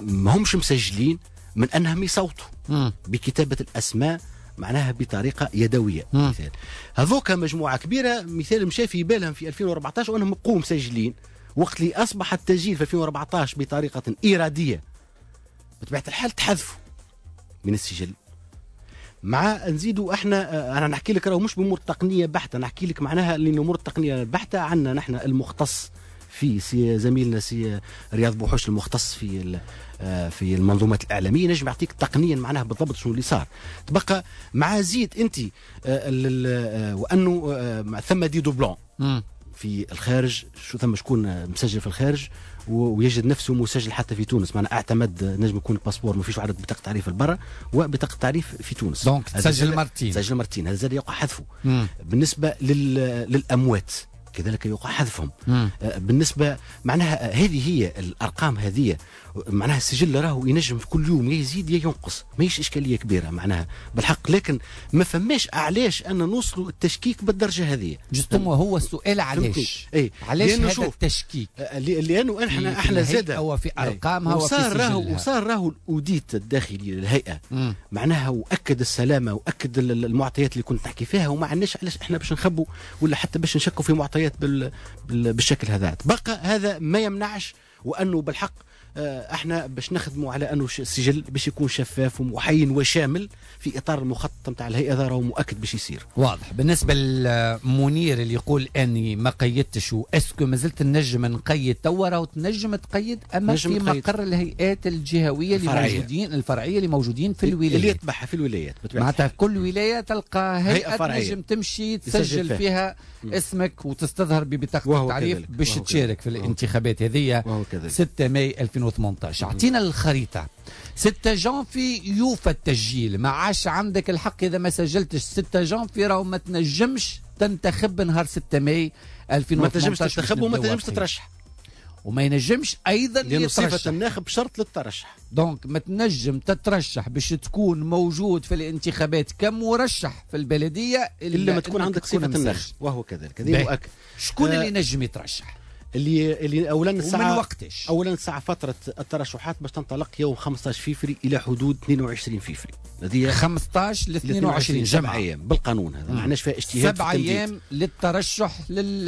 ما همش مسجلين من انهم يصوتوا بكتابه الاسماء معناها بطريقة يدوية. مم. مثال هذوك مجموعة كبيرة مثال مشى في بالهم في ألفين وأربعطاش وانهم بقوا مسجلين، وقت اللي اصبح التسجيل في ألفين وأربعطاش بطريقة ارادية بطبيعة الحال تحذفوا من السجل. مع نزيدوا احنا، انا نحكي لك راهو مش بامور تقنية بحته، نحكي لك معناها اللي الامور التقنية البحتة عندنا نحن المختص في سي زميلنا سي رياض بوحوش المختص في في المنظومات الاعلامية نجم يعطيك تقنيا معناها بالضبط شنو اللي صار. تبقى مع زيد انت وانه ثم des doublons في الخارج، شو ثم شكون مسجل في الخارج ويجد نفسه مسجل حتى في تونس، معناها اعتمد نجم يكون ال passeport ما فيش عدد بطاقة تعريف البرا وبطاقه تعريف في تونس، donc تسجل مرتين، تسجل مرتين، هذا زاد يقع حذفه. بالنسبة للاموات كذلك يقع حذفهم. مم. بالنسبة معناها هذه هي الارقام هذه، معناها السجل راهو ينجم في كل يوم يزيد يا ينقص، ماهيش اشكالية كبيرة معناها بالحق، لكن ما فماش علاش ان نوصلوا التشكيك بالدرجة هذه. justement هو السؤال علاش؟ اي علاش هذا التشكيك؟ لانه احنا احنا زاد هو في ارقامها وفي وصار راهو وصار راهو ال audit الداخلي للهيئة. مم. معناها واكد السلامة واكد المعطيات اللي كنت نحكي فيها، وما عندناش علاش احنا باش نخبوا ولا حتى باش نشكوا في معطيات بال... بالشكل هذا. بقى هذا ما يمنعش وانه بالحق احنا باش نخدموا على انه السجل باش يكون شفاف ومحين وشامل في اطار المخطط نتاع الهيئة، هذا راهو مؤكد باش يصير. واضح. بالنسبة للمنير اللي يقول اني ما قيدتش و est-ce que مازلت نجم نقيد توا، راهو تنجم تقيد اما في مقر الهيئات الجهوية اللي موجودين، الفرعية اللي موجودين في الولايات، اللي يتبعها في الولايات. معناتها كل ولاية تلقى هيئة تنجم تمشي تسجل فيها م. اسمك وتستظهر ببطاقه التعريف باش تشارك في الانتخابات هذه ستة ماي ألفين وثمانية عشر. اعطينا الخريطة. ستة جانفي يوفى التسجيل، ما عادش عندك الحق اذا ما سجلتش ستة جانفي راهو ما تنجمش تنتخب نهار ستة ماي ألفين وثمانية عشر. ما تنجمش تنتخب وما تنجمش تترشح، وما ينجمش ايضا لأنه صفة الناخب شرط للترشح. donc ما تنجم تترشح باش تكون موجود في الانتخابات كمرشح في البلدية الا, إلا ما تكون عندك صفة الناخب، وهو كذلك. هذه مؤكد. شكون آه اللي ينجم يترشح؟ اللي اللي اولا الساعة ومن وقتش؟ اولا الساعة فترة الترشحات باش تنطلق يوم خمسة عشر فيفري الى حدود اثنين وعشرين فيفري. هذه خمسة عشر ل اثنين وعشرين، سبع ايام بالقانون هذا، ما عندناش فيها اجتهاد. سبع ايام للترشح لل...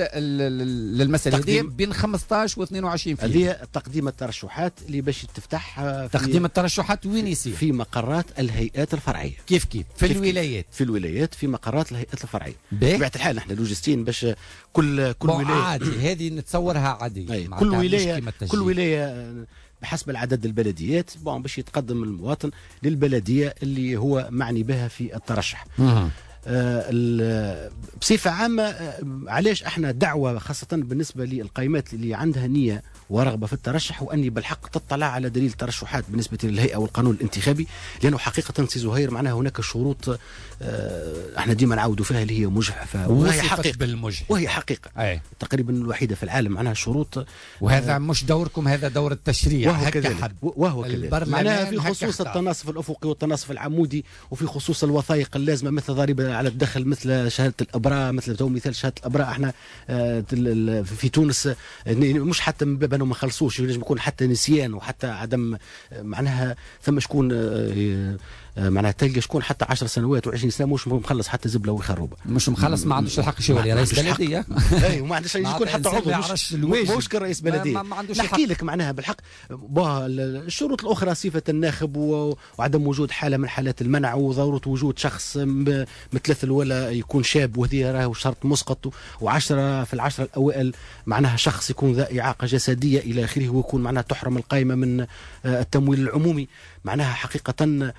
للمسالة هذه بين خمسة عشر و اثنين وعشرين فيفري. هذه تقديم الترشحات اللي باش تفتح في تقديم الترشحات وين يصير؟ في مقرات الهيئات الفرعية. كيف كيف؟ في كيف الولايات. في الولايات في مقرات الهيئات الفرعية. بطبيعة الحال نحن لوجستيين باش كل كل ولاية عادي، هذه نتصورها عادي. كل ولاية كل ولاية بحسب العدد البلديات bon باش يتقدم المواطن للبلديه اللي هو معني بها في الترشح. آه بصفة عامة علاش احنا دعوه خاصة بالنسبة للقائمات اللي عندها نيه ورغبه في الترشح واني بالحق تطلع على دليل الترشحات بالنسبة للهيئة والقانون الانتخابي، لانه حقيقة سي زهير معناها هناك شروط آه احنا ديما نعاودوا فيها اللي هي مجحفه، وهي حقيقة بالمجحف. وهي حقيقة أي. تقريبا الوحيدة في العالم معناها شروط، وهذا آه مش دوركم، هذا دور التشريع. وهو كذلك وهو كذلك معناها في خصوص التناصف الافقي والتناصف العمودي، وفي خصوص الوثائق اللازمة مثل ضريبة على الدخل، مثل شهادة الابراء، مثل تو مثال شهادة الابراء احنا في تونس مش حتى من باب انه ما خلصوش، ينجم يكون حتى نسيان وحتى عدم معناها ثم شكون معناها تلقى شكون حتى عشر سنوات وعشرين سنة مش مخلص حتى زبله وخروبه، مش مخلص، ما عندوش الحق يولي رئيس بلديه. اي وما عندوش يكون حتى عضو، مش مش كرئيس بلديه. نحكي لك معناها بالحق الشروط الاخرى صفة الناخب وعدم وجود حاله من حالات المنع وضرورة وجود شخص متلثل ولا يكون شاب، وهذه راهو شرط مسقط، وعشرة في العشرة الاوائل معناها شخص يكون ذا اعاقه جسدية الى اخره، ويكون معناها تحرم القائمة من التمويل العمومي. معناها حقيقة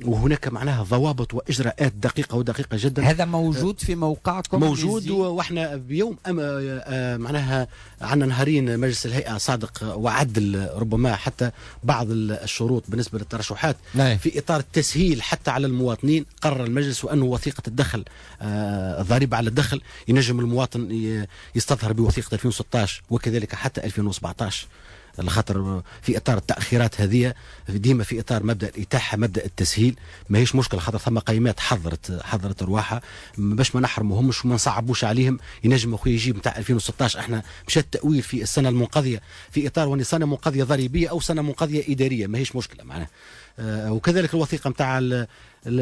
وهناك معناها ضوابط واجراءات دقيقة ودقيقة جدا. هذا موجود في موقعكم؟ موجود، واحنا بيوم أم معناها عندنا نهارين مجلس الهيئة صادق وعدل ربما حتى بعض الشروط بالنسبة للترشحات نعم. في اطار التسهيل حتى على المواطنين قرر المجلس وانه وثيقة الدخل الضريبة على الدخل ينجم المواطن يستظهر بوثيقه ألفين وستة عشر وكذلك حتى ألفين وسبعة عشر، لخاطر في اطار التاخيرات هذه ديما في اطار مبدا الاتاحه مبدا التسهيل ماهيش مشكلة، خاطر ثم قيمات حضرت حضرت رواحها باش ما نحرموهمش وما نصعبوش عليهم. ينجم اخويا يجيب نتاع ألفين وستة عشر، احنا مشى التاويل في السنة المنقضيه في اطار وان سنة منقضيه ضريبية او سنة منقضيه ادارية، ماهيش مشكلة معناها. آه وكذلك الوثيقة نتاع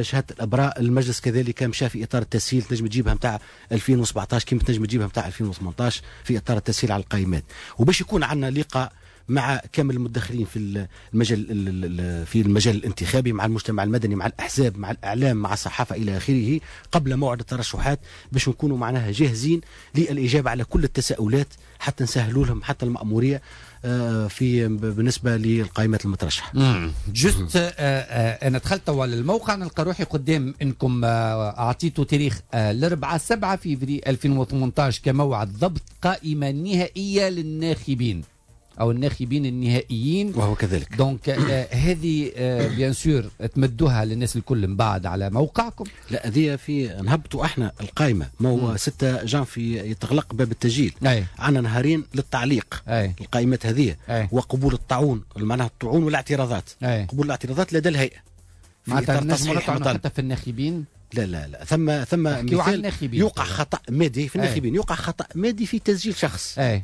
شهادة الابراء المجلس كذلك مشى في اطار التسهيل، تنجم تجيبها نتاع ألفين وسبعة عشر كيما تنجم تجيبها نتاع ألفين وثمانية عشر في اطار التسهيل على القائمات، وباش يكون عندنا لقاء مع كامل المتدخلين في المجال في المجال الانتخابي، مع المجتمع المدني، مع الاحزاب، مع الاعلام، مع الصحافة الى اخره، قبل موعد الترشحات باش نكونوا معناها جاهزين للاجابة على كل التساؤلات حتى نسهلوا لهم حتى المأموريه في بالنسبة للقائمات المترشحه. juste انا دخلت توا للموقع نلقى روحي قدام انكم اعطيتوا تاريخ الأربعاء سبعة فيفري ألفين وثمانية عشر كموعد ضبط قائمة نهائية للناخبين او الناخبين النهائيين، وهو كذلك. donc آه هذه آه bien sûr تمدوها للناس الكل من بعد على موقعكم. لا هذه في نهبطوا احنا القائمة، ما هو ستة جانفي يتغلق باب التسجيل، عندنا نهارين للتعليق. أي. القائمات هذه أي. وقبول الطاعون، معناها الطعون والاعتراضات. أي. قبول الاعتراضات لدى الهيئة معناتها الناس حتى في الناخبين. لا لا لا ثم ثم مثال يوقع خطا مادي في الناخبين، يوقع خطا مادي في تسجيل شخص. أي.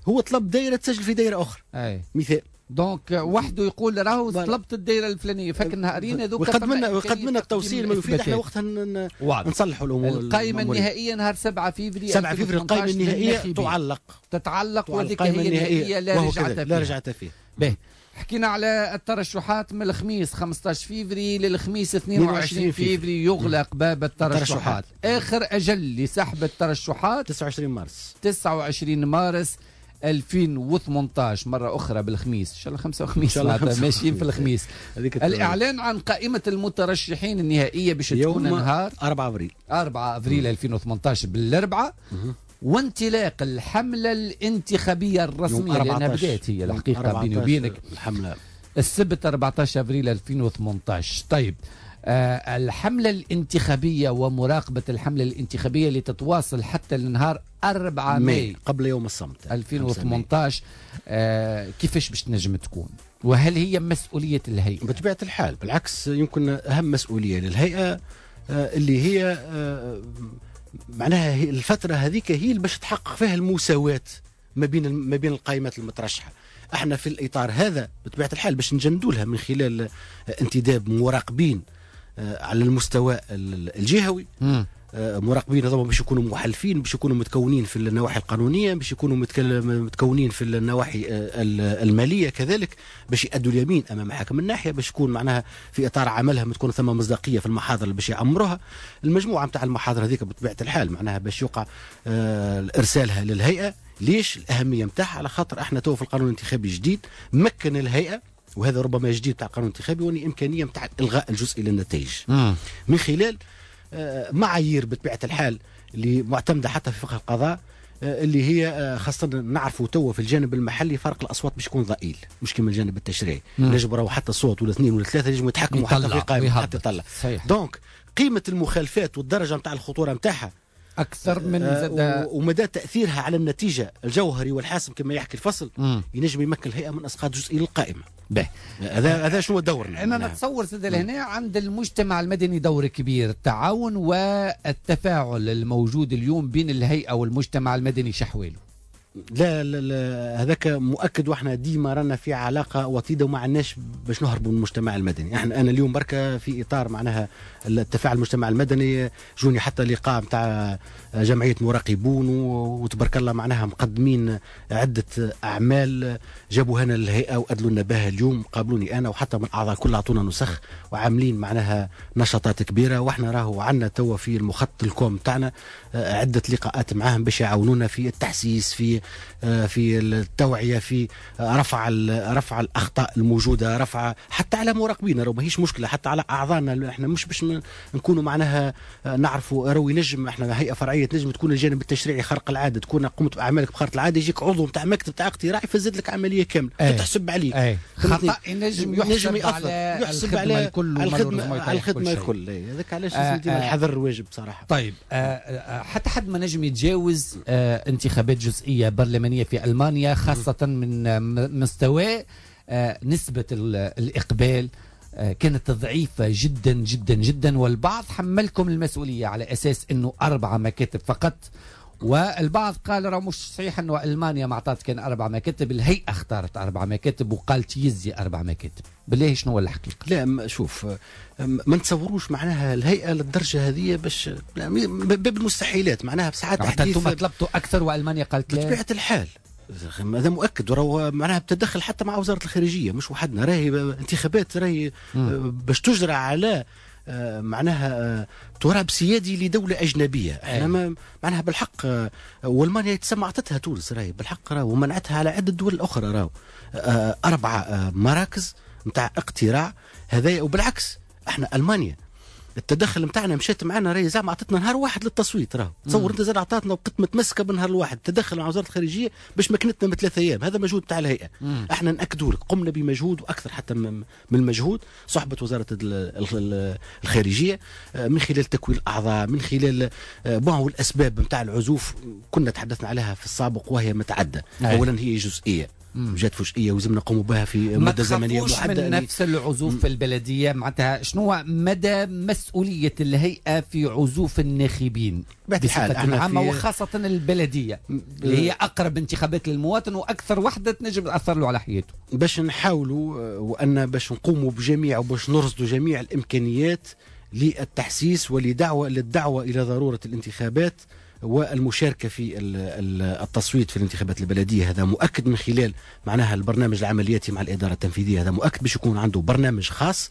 هو طلب دائرة تسجل في دائرة اخرى. أي. مثال donc وحده يقول راهو طلبت الدائرة الفلانية، فك النهارين هذوك ويقدم لنا ويقدم لنا التوصيل ما يفيد، احنا وقتها نصلحوا الامور. القائمة النهائية نهار سبعة فيفري سبعة فيفري القائمة النهائية تعلق تتعلق، وهذيك هي النهائية لا رجعه فيها. لا رجعه فيها. باهي، حكينا على الترشحات من الخميس خمسطاش فيفري للخميس اثنين وعشرين فيفري يغلق باب الترشحات. آخر أجل لسحب الترشحات تسعة وعشرين مارس، تسعة وعشرين مارس ألفين وثمنطاش، مرة أخرى بالخميس، إن شاء الله خمسة وخميس ماشيين في الخميس. الإعلان عن قائمة المترشحين النهائية باش تكون نهار أربعة أفريل، أربعة أفريل ألفين وثمنطاش بالأربعة، وانطلاق الحملة الانتخابية الرسمية لأنها بدأت هي الحقيقة بيني وبينك الحملة السبت أربعطاش أفريل ألفين وثمنطاش. طيب آه الحملة الانتخابية ومراقبة الحملة الانتخابية اللي تتواصل حتى النهار أربعة ماي قبل يوم الصمت ألفين وثمنطاش، آه كيفاش باش تنجم تكون؟ وهل هي مسؤولية الهيئة؟ بطبيعة الحال، بالعكس يمكن أهم مسؤولية للهيئة آه اللي هي آه معناها الفترة هذيك هي اللي باش تحقق فيها المساواة ما بين ما بين القائمات المترشحة. احنا في الإطار هذا بطبيعة الحال باش نجندوا لها من خلال انتداب مراقبين على المستوى الجهوي، م. مراقبين هذوما باش يكونوا محلفين، باش يكونوا متكونين في النواحي القانونية، باش يكونوا متكونين في النواحي المالية كذلك، باش يأدوا اليمين امام حاكم الناحية، باش يكون معناها في اطار عملهم تكون ثم مصداقية في المحاضر اللي باش يعمروها. المجموعة نتاع المحاضر هذيك بطبيعة الحال معناها باش يوقع ارسالها للهيئة. ليش الاهمية نتاعها؟ على خاطر احنا تو في القانون الانتخابي الجديد مكن الهيئة، وهذا ربما جديد تاع القانون الانتخابي، واني امكانية نتاع الغاء الجزئي للنتائج من خلال معايير بطبيعة الحال اللي معتمدة حتى في فقه القضاء، اللي هي خاصة نعرفوا توا في الجانب المحلي فرق الاصوات باش يكون ضئيل، مش كما الجانب التشريعي. نجم راهو حتى صوت ولا اثنين ولا ثلاثة ينجموا يتحكموا حتى في قائمة حتى يطلع. donc قيمة المخالفات والدرجة نتاع الخطورة نتاعها اكثر من زاد ومدى تاثيرها على النتيجة الجوهري والحاسم كما يحكي الفصل، ينجم يمكن الهيئة من اسقاط جزئي للقائمه. به هذا هذا شنو دورنا؟ انا نتصور زاد لهنا عند المجتمع المدني دور كبير، التعاون والتفاعل الموجود اليوم بين الهيئة والمجتمع المدني شحواله؟ لا لا لا، هذاك مؤكد، واحنا ديما رانا في علاقة وطيدة وما عندناش باش نهربوا من المجتمع المدني. احنا انا اليوم بركة في اطار معناها التفاعل المجتمع المدني، جوني حتى لقاء نتاع جمعية مراقبون وتبارك الله معناها مقدمين عده اعمال جابوها لنا للهيئة وادلوا لنا بها اليوم، قابلوني انا وحتى من الاعضاء كل اعطونا نسخ وعاملين معناها نشاطات كبيرة. واحنا راهو عندنا توا في المخطط الكوم تاعنا عده لقاءات معاهم باش يعاونونا في التحسيس، في في التوعية، في رفع رفع الاخطاء الموجودة، رفع حتى على مراقبينا راهو ماهيش مشكلة، حتى على اعضائنا احنا مش باش نكونوا معناها نعرفوا راهو ينجم احنا هيئة فرعية تنجم تكون الجانب التشريعي خرق العادة، تكون قمت باعمالك بخرق العادة، يجيك عضو نتاع مكتب تاع اقتراع يفزد لك عملية كاملة تحسب عليك. أي. خطا ينجم يحسب على يحسب على الخدمة الخدمة على الخدمة الكل. هذاك علاش لازم ديما الحذر واجب بصراحة. طيب آه حتى حد ما نجم يتجاوز آه انتخابات جزئية برلمانية في المانيا، خاصة من مستوى نسبه الاقبال كانت ضعيفة جدا جدا جدا، والبعض حملكم المسؤولية على اساس انه اربعة مكاتب فقط، والبعض قال راه مش صحيح انه المانيا ما اعطت كان اربع مكاتب، الهيئة اختارت اربع مكاتب وقالت يزي اربع مكاتب. بالله شنو هو الحقيقة؟ لا شوف، ما نتصوروش معناها الهيئة للدرجة هذه باش باب المستحيلات معناها بساعات حتى انتم طلبتوا اكثر والمانيا قالت لا. بطبيعة الحال هذا مؤكد، وراهو معناها بتدخل حتى مع وزارة الخارجية مش وحدنا، راهي انتخابات راهي باش تجرى على معناها تراب سيادي لدولة أجنبية. احنا ما معناها بالحق، والمانيا تسمى عطتها تونس راهي بالحق راهو ومنعتها على عدة دول أخرى راهو أربعة مراكز نتاع اقتراع هذايا. وبالعكس احنا ألمانيا التدخل نتاعنا مشات معنا راهي زعما عطتنا نهار واحد للتصويت راهو، تصور انت زاد عطاتنا وقت متمسكة بالنهار الواحد، تدخل مع وزارة الخارجية باش مكنتنا من ثلاث ايام، هذا مجهود تاع الهيئة. مم. احنا ناكدوا لك قمنا بمجهود واكثر حتى من المجهود صحبه وزارة الخارجية من خلال تكوين الاعضاء، من خلال بعض الاسباب نتاع العزوف كنا تحدثنا عليها في السابق وهي متعددة. اولا هي جزئية جات فجئيه ولازم نقوم بها في مده زمنية محددة. من نفس العزوف في البلدية معناتها شنو مدى مسؤولية الهيئة في عزوف الناخبين بصفة عامة وخاصة البلدية اللي هي اقرب انتخابات للمواطن واكثر وحده تنجم تاثر له على حياته؟ باش نحاولوا وان باش نقوموا بجميع وباش نرصدوا جميع الامكانيات للتحسيس ولدعوه للدعوة الى ضرورة الانتخابات والمشاركة في التصويت في الانتخابات البلدية. هذا مؤكد من خلال معناها البرنامج العملياتي مع الإدارة التنفيذية، هذا مؤكد باش يكون عنده برنامج خاص.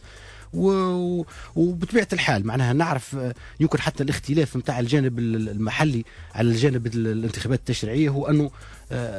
و... وبطبيعة الحال معناها نعرف يمكن حتى الاختلاف نتاع الجانب المحلي على الجانب الانتخابات التشريعية هو أنه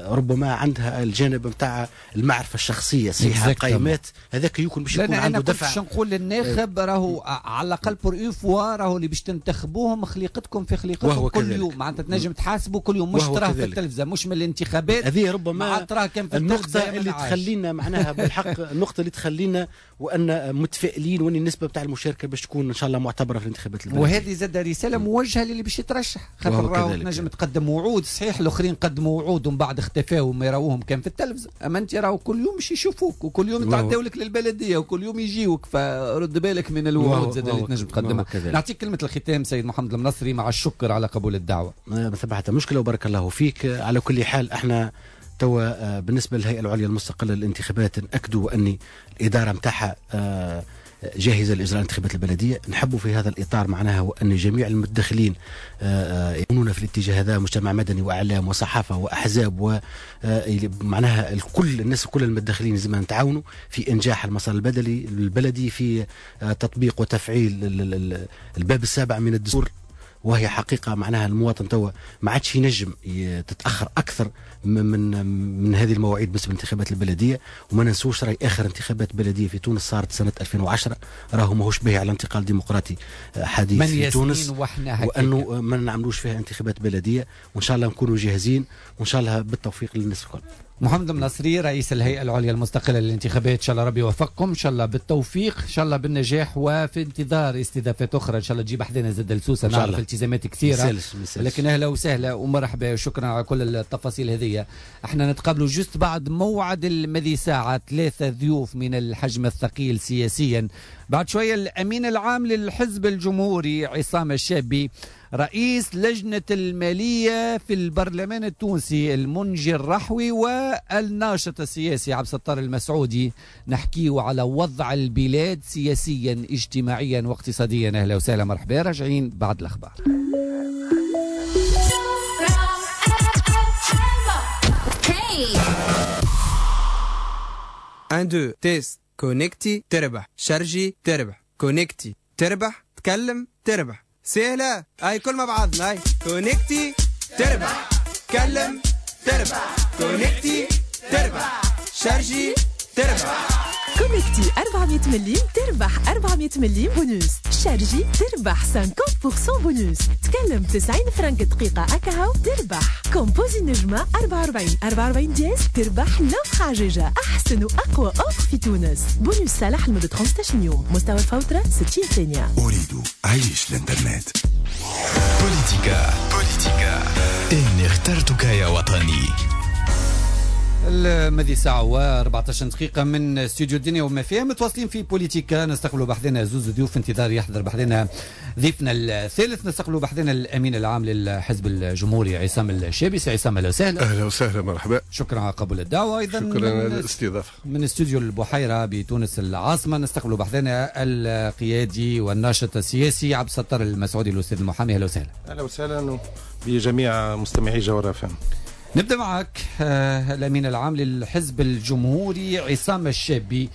ربما عندها الجانب نتاع المعرفة الشخصية، صحيح القيمات، هذاك يمكن باش يكون عنده دفع. باش نقول للناخب راهو على الأقل pour une fois راهو اللي باش تنتخبوهم خليقتكم في خليقتكم كل يوم، معناتها تنجم تحاسبوا كل يوم، مش تراه في التلفزة، مش من الانتخابات. هذه ربما النقطة اللي تخلينا معناها بالحق النقطة اللي تخلينا وأن متفائلين وأن النسبة بتاع المشاركة باش تكون إن شاء الله معتبرة في الانتخابات البلدية. وهذه زاد رسالة موجهة للي باش يترشح، خاطر راهو تنجم تقدم وعود، صحيح الآخرين قدموا وعود ومن بعد اختفاو وما يراوهم كان في التلفزة، اما انت راهو كل يوم باش يشوفوك وكل يوم يتعداو لك للبلديه وكل يوم يجيوك، فرد بالك من الوعود زاد اللي تنجم تقدمها. نعطيك كلمة الختام سيد محمد المنصري مع الشكر على قبول الدعوة. ما ثم حتى مشكلة وبارك الله فيك. على كل حال احنا توا بالنسبة للهيئة العليا المستقلة للانتخابات ناكدوا ان الادارة نتاعها جاهزة لإجراء الانتخابات البلدية. نحب في هذا الإطار معناها وأن جميع المتدخلين يكونون في الاتجاه هذا، مجتمع مدني وإعلام وصحافة وأحزاب ومعناها الكل، الناس كل المتدخلين لازم نتعاونوا في إنجاح المسار البدلي البلدي، في تطبيق وتفعيل الباب السابع من الدستور. وهي حقيقة معناها المواطن توا ما عادش ينجم تتأخر أكثر من من هذه المواعيد بالنسبة للانتخابات البلدية. وما ننسوش راي آخر انتخابات بلدية في تونس صارت سنة ألفين وعشرة، راهو ماهوش باهي على انتقال ديمقراطي حديث في تونس، وأنه ما نعملوش فيها انتخابات بلدية. وإن شاء الله نكونوا جاهزين، وإن شاء الله بالتوفيق للناس الكل. محمد المنصري رئيس الهيئة العليا المستقلة للانتخابات، إن شاء الله ربي يوفقكم، إن شاء الله بالتوفيق، إن شاء الله بالنجاح، وفي انتظار استضافات أخرى إن شاء الله تجيب حدنا زاد السوسة، نعرف التزامات كثيرة، مسالش مسالش. لكن أهلا وسهلا ومرحبا وشكرا على كل التفاصيل هذه. احنا نتقابلوا juste بعد موعد المذي ساعة، ثلاثة ضيوف من الحجم الثقيل سياسيا. بعد شوية الأمين العام للحزب الجمهوري عصام الشابي، رئيس لجنة المالية في البرلمان التونسي المنجي الرحوي، والناشط السياسي عبد الستار المسعودي، نحكيه على وضع البلاد سياسيا اجتماعيا واقتصاديا. أهلا وسهلا، مرحبا، راجعين بعد الأخبار. واحد اثنين test connecti تربح، chargi تربح، connecti تربح، تكلم تربح، سهلة. هاي كل مع بعضنا، هاي connecti تربح، كلم تربح، connecti تربح، chargi تربح. connecti أربعمية مليم تربح أربعمية مليم bonus، chargi تربح خمسين بالمية بونوس، تكلم تسعين فرنك دقيقة أكاهو تربح، composi نجمة أربعة وأربعين أربعة وأربعين dièse تربح l'offre عجاجة، أحسن وأقوى offre في تونس. بونوس صالح لمدة خمسة عشر يوم، مستوى الفوترة ستين ثانية. أريد عيش الإنترنت. بوليتيكا بوليتيكا إني اخترتك يا وطني. الماضي ساعة وأربعة عشر دقيقة من استوديو الدنيا وما فيها، متواصلين في بوليتيكا. نستقبلوا بحذنا زوز ضيوف، انتظار يحضر بحذنا ضيفنا الثالث. نستقبلوا بحذنا الأمين العام للحزب الجمهوري عصام الشابي. سي عصام أهلا وسهلا. أهلا وسهلا، مرحبا. شكرا على قبول الدعوة. أيضا شكرا على الاستضافة. من استوديو البحيرة بتونس العاصمة نستقبلوا بحذنا القيادي والناشط السياسي عبد الستار المسعودي الأستاذ المحامي. أهلا وسهلا. أهلا وسهلا بجميع مستمعي جوهرة أف أم. نبدأ معك الأمين العام للحزب الجمهوري عصام الشابي.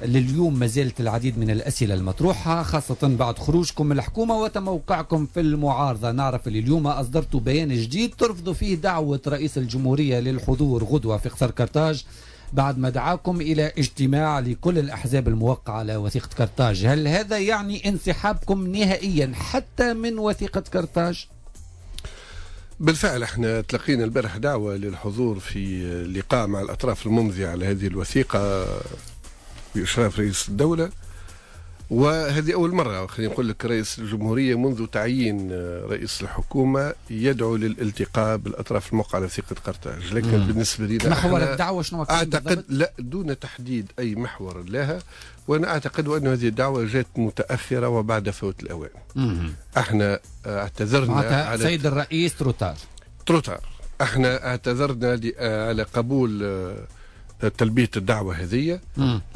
لليوم ما زالت العديد من الأسئلة المطروحة، خاصة بعد خروجكم من الحكومة وتموقعكم في المعارضة. نعرف اللي اليوم أصدرتوا بيان جديد ترفضوا فيه دعوة رئيس الجمهورية للحضور غدوة في قصر كرتاج بعد ما دعاكم إلى اجتماع لكل الأحزاب الموقعة على وثيقة كرتاج. هل هذا يعني انسحابكم نهائيا حتى من وثيقة كرتاج؟ بالفعل احنا تلقينا البارح دعوة للحضور في لقاء مع الأطراف الممضية على هذه الوثيقة بإشراف رئيس الدولة، وهذه أول مرة خلينا نقول لك رئيس الجمهورية منذ تعيين رئيس الحكومة يدعو للالتقاء بالأطراف الموقعة على وثيقة قرطاج. لكن مم. بالنسبة لنا محور الدعوة شنو أعتقد لا دون تحديد أي محور لها، وأنا أعتقد أن هذه الدعوة جاءت متأخرة وبعد فوت الأوان. مم. احنا اعتذرنا على سيد الرئيس trop tard trop tard احنا اعتذرنا على قبول تلبية الدعوة هذه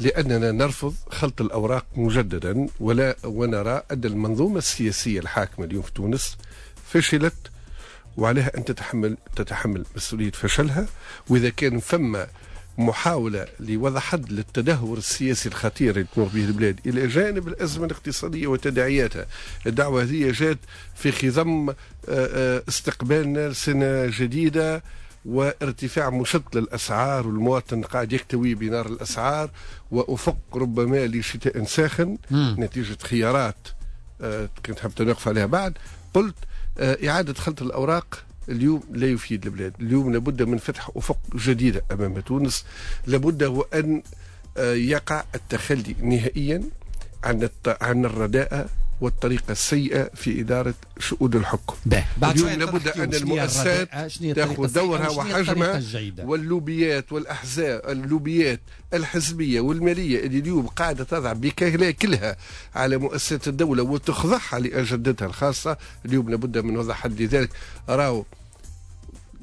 لأننا نرفض خلط الأوراق مجددا، ولا ونرى أن المنظومة السياسية الحاكمة اليوم في تونس فشلت وعليها أن تتحمل تتحمل مسؤولية فشلها. وإذا كان فما محاولة لوضع حد للتدهور السياسي الخطير اللي تمر به البلاد إلى جانب الأزمة الاقتصادية وتداعياتها، الدعوة هذه جات في خضم استقبالنا لسنة جديدة وارتفاع مشط للأسعار، والمواطن قاعد يكتوي بنار الأسعار، وأفق ربما لشتاء ساخن م. نتيجة خيارات كنت حابة نقف عليها بعد. قلت إعادة خلط الأوراق اليوم لا يفيد البلاد. اليوم لابد من فتح أفق جديدة أمام تونس، لابد وأن يقع التخلي نهائيا عن عن الرداءة والطريقة السيئة في إدارة شؤون الحكم. اليوم لابد أن المؤسسات تأخذ دورها وحجمها، واللوبيات والأحزاب، اللوبيات الحزبية والمالية اللي اليوم قاعدة تضع بكهلاكلها على مؤسسات الدولة وتخضعها لأجندتها الخاصة، اليوم لابد من وضع حد لذلك. راهو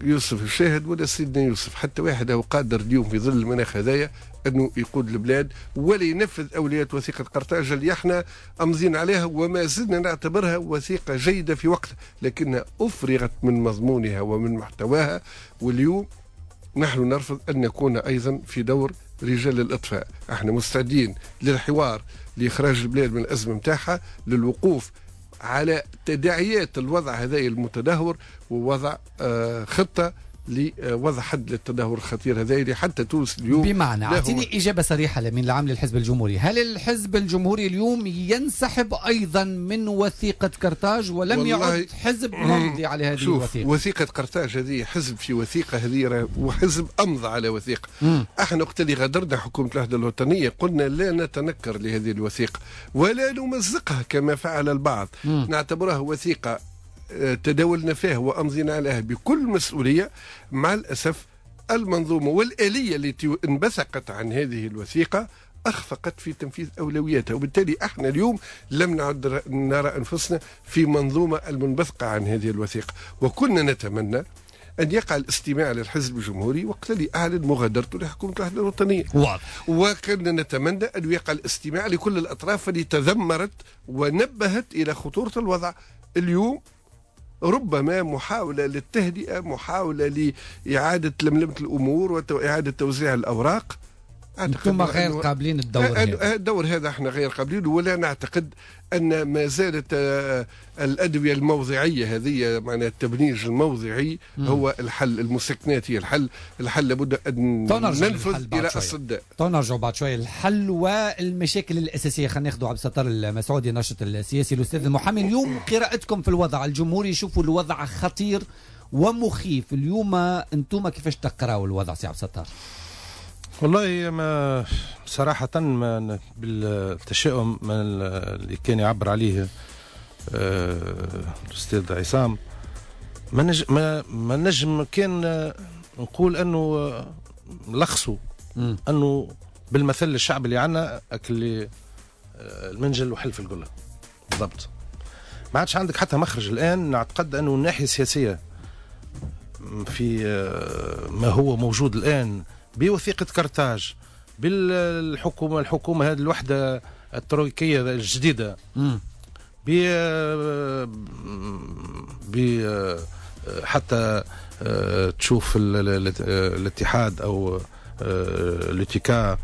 يوسف الشاهد ولا سيدنا يوسف، حتى واحد هو قادر اليوم في ظل المناخ هذايا انه يقود البلاد ولا ينفذ اولويات وثيقة قرطاج اللي احنا امضين عليها وما زلنا نعتبرها وثيقة جيدة في وقتها، لكنها افرغت من مضمونها ومن محتواها. واليوم نحن نرفض ان نكون ايضا في دور رجال الاطفاء. احنا مستعدين للحوار لاخراج البلاد من الازمة نتاعها، للوقوف على تداعيات الوضع هذا المتدهور، ووضع خطة لوضع حد للتدهور الخطير هذا اللي حتى تونس اليوم. بمعنى اعطيني إجابة صريحة لمن العام للحزب الجمهوري، هل الحزب الجمهوري اليوم ينسحب أيضا من وثيقة قرطاج ولم يعد حزب ممضي على هذه الوثيقة؟ وثيقة قرطاج هذه حزب في وثيقة هذه، وحزب أمضى على وثيقة. مم. احنا وقت اللي غادرنا حكومة الوحدة الوطنية قلنا لا نتنكر لهذه الوثيقة ولا نمزقها كما فعل البعض. مم. نعتبرها وثيقة تداولنا فيها وأمضينا عليها بكل مسؤولية. مع الأسف المنظومة والآلية التي انبثقت عن هذه الوثيقة أخفقت في تنفيذ أولوياتها، وبالتالي احنا اليوم لم نعد نرى أنفسنا في منظومة المنبثقة عن هذه الوثيقة. وكنا نتمنى أن يقع الاستماع للحزب الجمهوري وقت اللي أعلن مغادرته لحكومة الوحدة الوطنية. واضح. وكنا نتمنى أن يقع الاستماع لكل الأطراف اللي تذمرت ونبهت إلى خطورة الوضع. اليوم ربما محاولة للتهدئة، محاولة لإعادة لملمة الأمور وإعادة توزيع الأوراق. أنتم غير قابلين الدور هذا. الدور هذا احنا غير قابلين، ولا نعتقد أن ما زالت الأدوية الموضعية هذه، معناها التبنيج الموضعي مم. هو الحل، المسكنات هي الحل. الحل لابد أن ننفذ إلى الصداء. نرجع بعد شوية الحل والمشاكل الأساسية. خلينا ناخذ عبد الستار المسعودي الناشط السياسي الأستاذ المحامي. اليوم قراءتكم في الوضع الجمهوري، شوفوا الوضع خطير ومخيف اليوم، أنتم كيفاش تقراوا الوضع سي عبد الستار؟ والله ما صراحة ما بالتشاؤم اللي كان يعبر عليه الأستاذ عصام، ما نجم ما, ما نجم كان نقول أنه لخصوا أنه بالمثل الشعب اللي عندنا أكل المنجل وحلف القلة بالضبط. ما عادش عندك حتى مخرج الآن. نعتقد أنه الناحية السياسية في ما هو موجود الآن بوثيقة قرطاج، بالحكومة الحكومة هذه الوحدة الترويكية الجديدة، ب ب حتى تشوف الاتحاد أو الاتكا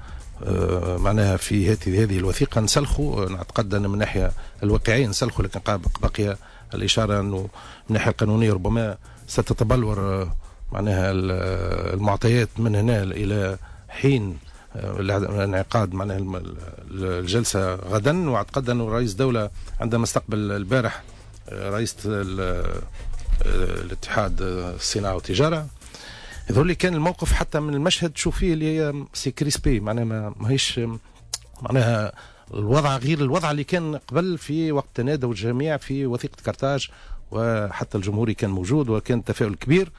معناها في هذه هذه الوثيقة نسلخوا. نعتقد أن من الناحية الواقعية نسلخوا، لكن بقي الإشارة أنه من الناحية القانونية ربما ستتبلور معناها المعطيات من هنا إلى حين الانعقاد معناها الجلسة غدا. واعتقد أنه رئيس الدولة عندما استقبل البارح رئيس الاتحاد الصناعة والتجارة، يظهر لي كان الموقف حتى من المشهد تشوف فيه اللي هي c'est crispé، معناها ماهيش معناها الوضع غير الوضع اللي كان قبل في وقت تنادوا الجميع في وثيقة قرطاج، وحتى الجمهوري كان موجود وكان تفاؤل كبير.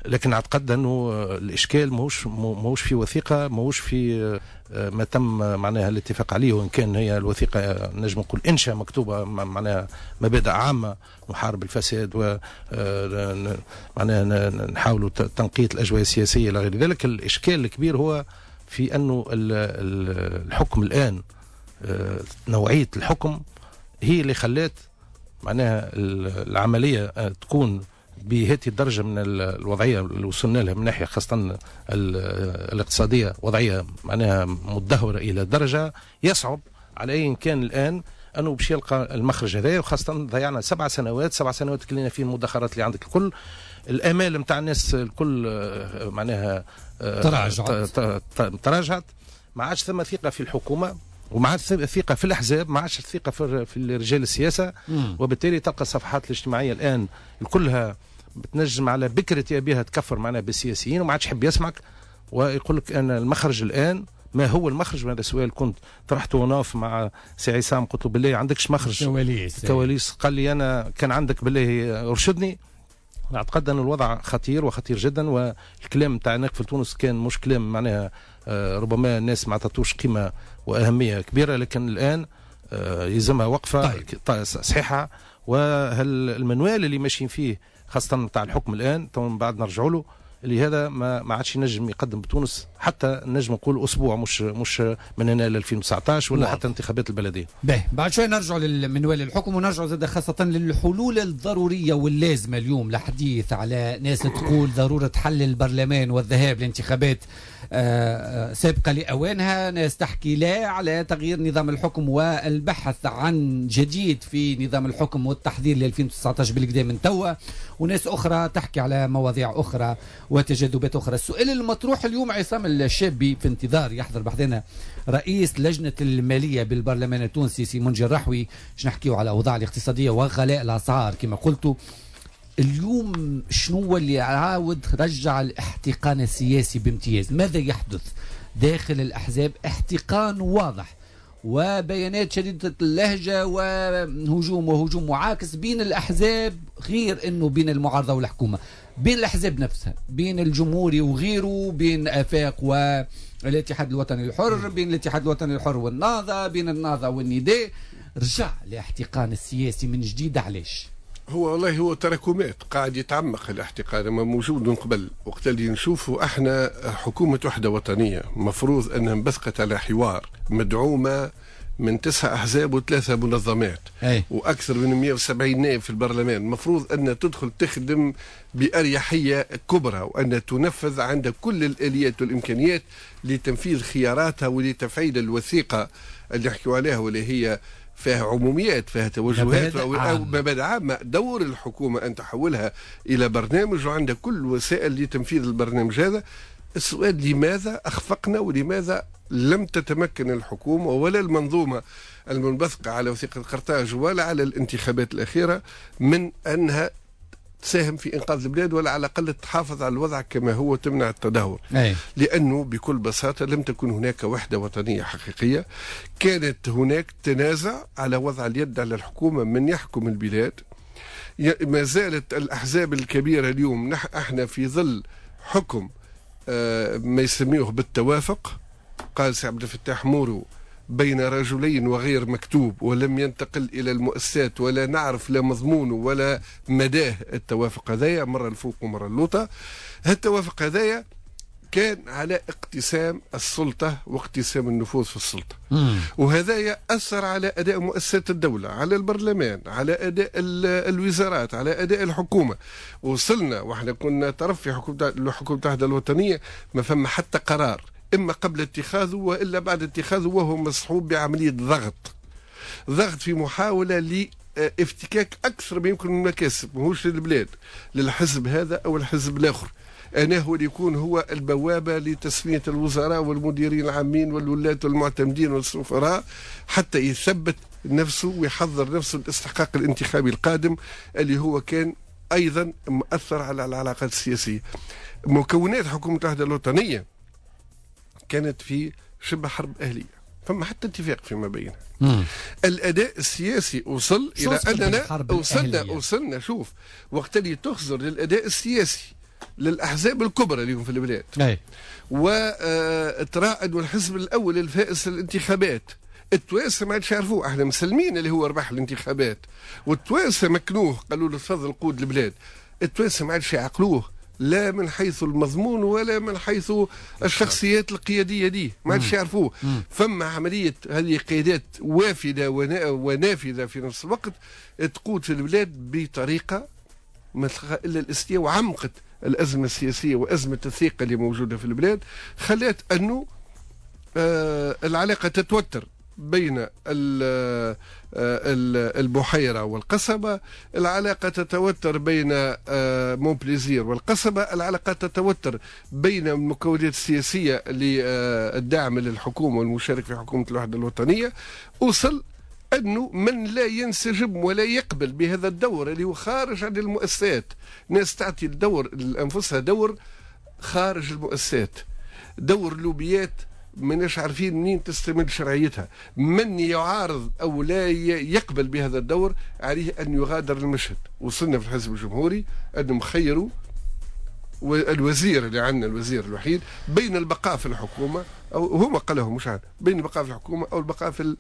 لكن اعتقد انه الاشكال ماهوش ماهوش في وثيقة، ماهوش في ما تم معناها الاتفاق عليه، وان كان هي الوثيقة نجم نقول انشاء مكتوبة معناها مبادئ عامة، نحارب الفساد و معناها نحاولوا تنقية الاجواء السياسية الى غير ذلك. الاشكال الكبير هو في انه الحكم الان، نوعية الحكم هي اللي خلات معناها العملية تكون بهذه الدرجة من الوضعية اللي وصلنا لها من ناحية خاصة الاقتصادية، وضعية معناها متدهوره الى درجه يصعب على اي كان الان انه باش يلقى المخرج هذايا، وخاصة ضيعنا سبع سنوات، سبع سنوات كلينا فيه المدخرات اللي عندك الكل، الامال نتاع الناس الكل معناها تراجعت تراجعت، ما عادش ثم ثقة في الحكومة وما عادش ثقة في الاحزاب، ما عادش ثقة في رجال السياسة. مم. وبالتالي تلقى الصفحات الاجتماعية الان كلها بتنجم على بكره ابيها تكفر معناها بالسياسيين، وما عادش يحب يسمعك ويقول لك ان المخرج الان ما هو المخرج؟ هذا سؤال كنت طرحته وناف مع سي عصام، قلت له بالله عندكش مخرج؟ كواليس كواليس. قال لي انا كان عندك بالله ارشدني. اعتقد ان الوضع خطير وخطير جدا، والكلام تاع نقف تونس كان مش كلام معناها ربما الناس ما عطاتوش قيمة واهمية كبيرة، لكن الان يلزمها وقفه طيب. صحيحه. وهالمنوال اللي ماشيين فيه خاصة تاع الحكم الان تو من بعد نرجعوا له، اللي هذا ما ما عادش ينجم يقدم بتونس حتى نجم نقول اسبوع، مش مش من هنا ل ألفين وتسعطاش ولا حتى انتخابات البلدية. باهي، بعد شوي نرجع للمنوال الحكم ونرجع زاد خاصة للحلول الضرورية واللازمه اليوم. الحديث على ناس تقول ضرورة حل البرلمان والذهاب لانتخابات سابقه لاوانها، ناس تحكي لا على تغيير نظام الحكم والبحث عن جديد في نظام الحكم والتحضير ل ألفين وتسعطاش بالكدا من توا، وناس اخرى تحكي على مواضيع اخرى وتجاذبات اخرى. السؤال المطروح اليوم عصام الشابي في انتظار يحضر بحذنا رئيس لجنة المالية بالبرلمان التونسي سي منجي الرحوي، باش نحكيو على الاوضاع الاقتصادية وغلاء الاسعار كما قلت. اليوم شنو اللي عاود رجع الاحتقان السياسي بامتياز؟ ماذا يحدث داخل الأحزاب؟ احتقان واضح وبيانات شديدة اللهجة وهجوم وهجوم معاكس بين الأحزاب، غير أنه بين المعارضة والحكومة، بين الأحزاب نفسها، بين الجمهوري وغيره، بين آفاق والاتحاد الوطني الحر، بين الاتحاد الوطني الحر والنهضة، بين النهضة والنداء. رجع الاحتقان السياسي من جديد. علاش؟ هو والله هو تراكمات قاعد يتعمق الاحتقان، ما موجود من قبل. وقت اللي نشوفوا احنا حكومة وحدة وطنية مفروض انها انبثقت على حوار مدعومة من تسع احزاب وثلاثة منظمات. أي. واكثر من مئة وسبعين نائب في البرلمان، المفروض ان تدخل تخدم باريحية كبرى وان تنفذ عند كل الاليات والامكانيات لتنفيذ خياراتها ولتفعيل الوثيقة اللي نحكيو عليها واللي هي فيها عموميات، فيها توجهات أو مبادئ عامة. دور الحكومة أن تحولها إلى برنامج وعندها كل الوسائل لتنفيذ البرنامج هذا. السؤال لماذا أخفقنا ولماذا لم تتمكن الحكومة ولا المنظومة المنبثقة على وثيقة قرطاج ولا على الانتخابات الأخيرة من أنها تساهم في إنقاذ البلاد ولا على الأقل تحافظ على الوضع كما هو تمنع التدهور؟ أي. لأنه بكل بساطة لم تكن هناك وحدة وطنية حقيقية. كانت هناك تنازع على وضع اليد على الحكومة من يحكم البلاد. ما زالت الأحزاب الكبيرة اليوم نح احنا في ظل حكم آه ما يسميه بالتوافق. قال سي عبد الفتاح مورو بين رجلين وغير مكتوب، ولم ينتقل إلى المؤسسات ولا نعرف لا مضمونه ولا مداه التوافق هذايا، مرة الفوق ومرة اللوطة. التوافق هذايا كان على اقتسام السلطة واقتسام النفوذ في السلطة. مم. وهذايا أثر على أداء مؤسسات الدولة، على البرلمان، على أداء الوزارات، على أداء الحكومة. وصلنا وإحنا كنا طرف في حكومة حكومة الوحدة الوطنية، ما فما حتى قرار إما قبل اتخاذه وإلا بعد اتخاذه، وهو مصحوب بعملية ضغط ضغط في محاولة لافتكاك أكثر ما يمكن من المكاسب، ماهوش للبلاد، للحزب هذا أو الحزب الآخر. أنا هو اللي يكون هو البوابة لتسمية الوزراء والمديرين العامين والولاة والمعتمدين والسفراء حتى يثبت نفسه ويحضر نفسه للاستحقاق الانتخابي القادم اللي هو كان أيضا مؤثر على العلاقات السياسية. مكونات حكومة الوحدة الوطنية كانت في شبه حرب أهلية، فما حتى اتفاق فيما بينها. الأداء السياسي وصل إلى أننا وصلنا وصلنا شوف وقت اللي تخزر للأداء السياسي للأحزاب الكبرى اليوم في البلاد، وترى أنه الحزب الأول الفائز في الانتخابات، التوانسة ما عادش يعرفوه، احنا مسلمين اللي هو ربح الانتخابات، والتوانسه مكنوه قالوا له تفضل قود البلاد، التوانسة ما عادش يعقلوه لا من حيث المضمون ولا من حيث الشخصيات القيادية دي، ما عادش يعرفوه. فما عملية هذه قيادات وافده ونافذه في نفس الوقت تقود في البلاد بطريقة ما تلقى الا الاستياء، وعمقت الازمة السياسية وازمة الثقة اللي موجودة في البلاد، خلات انه آه العلاقة تتوتر بين البحيرة والقصبة، العلاقة تتوتر بين مونبليزير والقصبة، العلاقة تتوتر بين المكونات السياسية للدعم للحكومة والمشارك في حكومة الوحدة الوطنية. وصل أنه من لا ينسجم ولا يقبل بهذا الدور اللي هو خارج عن المؤسسات، ناس تعطي الدور لأنفسها دور خارج المؤسسات، دور لوبيات ماناش عارفين منين تستمد شرعيتها. من يعارض او لا يقبل بهذا الدور عليه ان يغادر المشهد. وصلنا في الحزب الجمهوري انهم خيروا الوزير اللي عندنا، الوزير الوحيد، بين البقاء في الحكومة او هما قالهم مش عارف، بين البقاء في الحكومة او البقاء في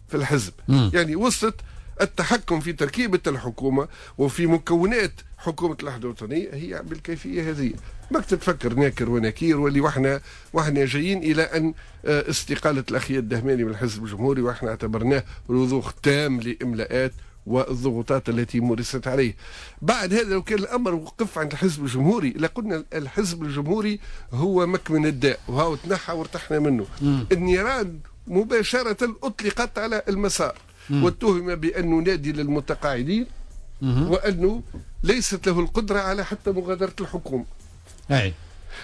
في الحزب. م. يعني وصلت التحكم في تركيبه الحكومة وفي مكونات حكومة الوحدة الوطنية هي بالكيفية هذه. ما تتفكر ناكر ونكير واللي واحنا واحنا جايين الى ان استقالة الاخ الدهماني من الحزب الجمهوري، واحنا اعتبرناه رضوخ تام لاملاءات والضغوطات التي مورست عليه. بعد هذا لو كان الامر وقف عند الحزب الجمهوري لقلنا الحزب الجمهوري هو مكمن الداء وهو تنحى وارتحنا منه. م. النيران مباشرة اطلقت على المسار واتهم بانه نادي للمتقاعدين وانه ليست له القدرة على حتى مغادرة الحكومة. أي.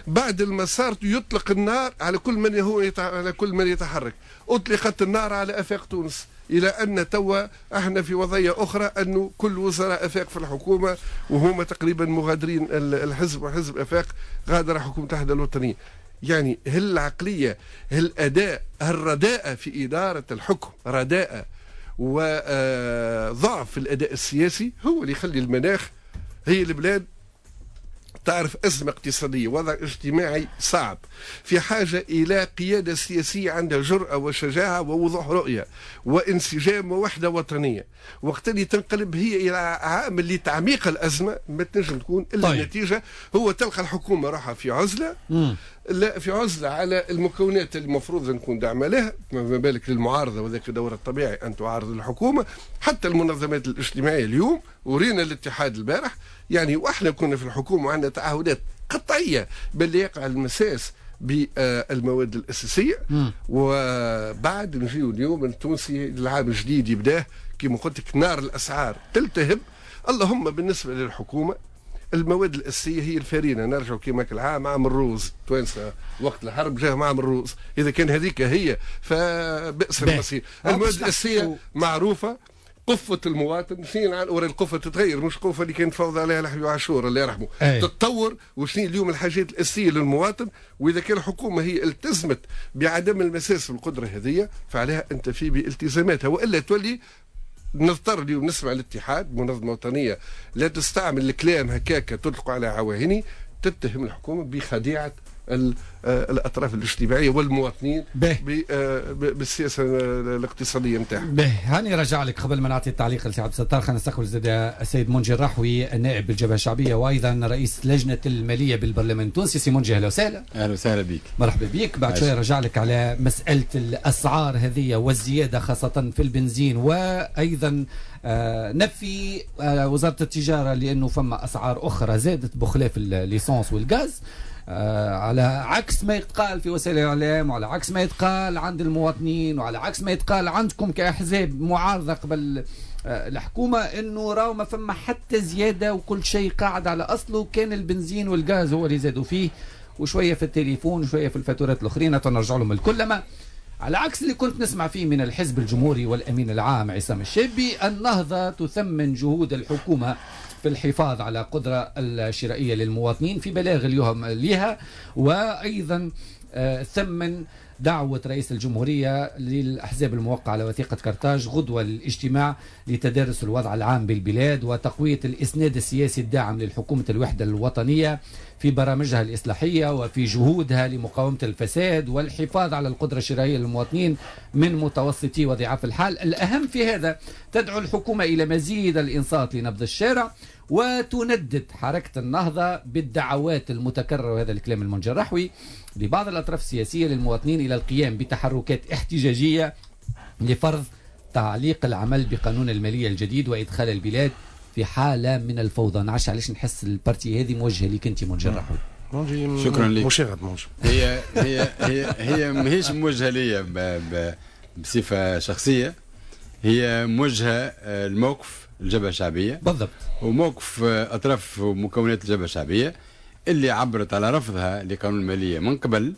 بعد المسار يطلق النار على كل من هو يتع... على كل من يتحرك. اطلقت النار على افاق تونس، الى ان توا احنا في وضعية اخرى انه كل وزراء افاق في الحكومة وهم تقريبا مغادرين الحزب، وحزب افاق غادر حكومة الوحدة الوطنية. يعني هل العقلية، هل الاداء، الرداءه في ادارة الحكم، رداءه وضعف الاداء السياسي هو اللي يخلي المناخ هي البلاد تعرف أزمة اقتصادية، وضع اجتماعي صعب، في حاجة إلى قيادة سياسية عندها جرأة وشجاعة ووضوح رؤية وانسجام ووحدة وطنية. وقت اللي تنقلب هي إلى عامل لتعميق الأزمة ما تنجم تكون إلا طيب. النتيجة هو تلقى الحكومة راحة في عزلة، مم. لا في عزلة على المكونات اللي المفروض نكون داعمة لها، ما بالك للمعارضة، وذاك الدور الطبيعي أن تعارض الحكومة. حتى المنظمات الاجتماعية اليوم ورينا الاتحاد البارح، يعني واحنا كنا في الحكومة وعندنا تعهدات قطعية باللي يقع المساس بالمواد الأساسية. م. وبعد نجيو اليوم التونسي العام الجديد يبداه كما قلت لك نار الأسعار تلتهب. اللهم بالنسبة للحكومة المواد الأساسية هي الفارينة، نرجع كما العام عام الروز، توانسة وقت الحرب جاهم عام الروز، إذا كان هذيك هي فبئس المصير. المواد الأساسية معروفة، قفة المواطن شنو ورا القفة تتغير، مش قفة اللي كان فوضى عليها الحبيب عاشور الله يرحمه، أي. تتطور وشنو اليوم الحاجات الأساسية للمواطن. وإذا كان الحكومة هي التزمت بعدم المساس بالقدرة هذه فعليها أن تفي بالتزاماتها، وإلا تولي نضطر اليوم نسمع الاتحاد منظمة وطنية لا تستعمل الكلام هكاك تطلق على عواهني، تتهم الحكومة بخديعة الأطراف الاجتماعية والمواطنين بالسياسة الاقتصادية نتاعها. به هاني رجع لك قبل ما نعطي التعليق لسي عبد الستار، خلينا نستقبل زاد السيد منجي الرحوي النائب بالجبهة الشعبية وأيضا رئيس لجنة المالية بالبرلمان التونسي. سي منجي أهلا وسهلا. أهلا وسهلا بك. مرحبا بك. بعد شوي رجع لك على مسألة الأسعار هذه والزيادة خاصة في البنزين، وأيضا نفي وزارة التجارة لأنه فما أسعار أخرى زادت بخلاف ال essence والغاز، آه على عكس ما يتقال في وسائل الإعلام وعلى عكس ما يتقال عند المواطنين وعلى عكس ما يتقال عندكم كأحزاب معارضة قبل آه الحكومة، انه راهو ما فما حتى زيادة وكل شيء قاعد على أصله، كان البنزين والغاز هو اللي زادوا فيه وشوية في التليفون وشوية في الفاتورات الأخرين نرجع لهم الكل. لما على عكس اللي كنت نسمع فيه من الحزب الجمهوري والأمين العام عصام الشابي، النهضة تثمن جهود الحكومة في الحفاظ على قدرة الشرائية للمواطنين في بلاغ اليوم لها، وأيضا ثمن دعوة رئيس الجمهورية للأحزاب الموقعة على وثيقة كرتاج غدوة للاجتماع لتدارس الوضع العام بالبلاد وتقوية الإسناد السياسي الداعم للحكومة الوحدة الوطنية في برامجها الإصلاحية وفي جهودها لمقاومة الفساد والحفاظ على القدرة الشرائية للمواطنين من متوسطي وضعاف الحال. الأهم في هذا تدعو الحكومة إلى مزيد الإنصات لنبض الشارع، وتندد حركة النهضة بالدعوات المتكررة، وهذا الكلام المنجي الرحوي، لبعض الأطراف السياسية للمواطنين إلى القيام بتحركات احتجاجية لفرض تعليق العمل بقانون المالية الجديد وإدخال البلاد في حاله من الفوضى. نعرفش علاش نحس ال partie هذه موجهة لك انت منجي الرحوي. شكرا لك. مشاغب منجي. هي هي هي هي ماهيش موجهة لي بصفة شخصية، هي موجهة الموقف الجبهة الشعبية بالضبط، وموقف اطراف ومكونات الجبهة الشعبية اللي عبرت على رفضها لقانون المالية من قبل،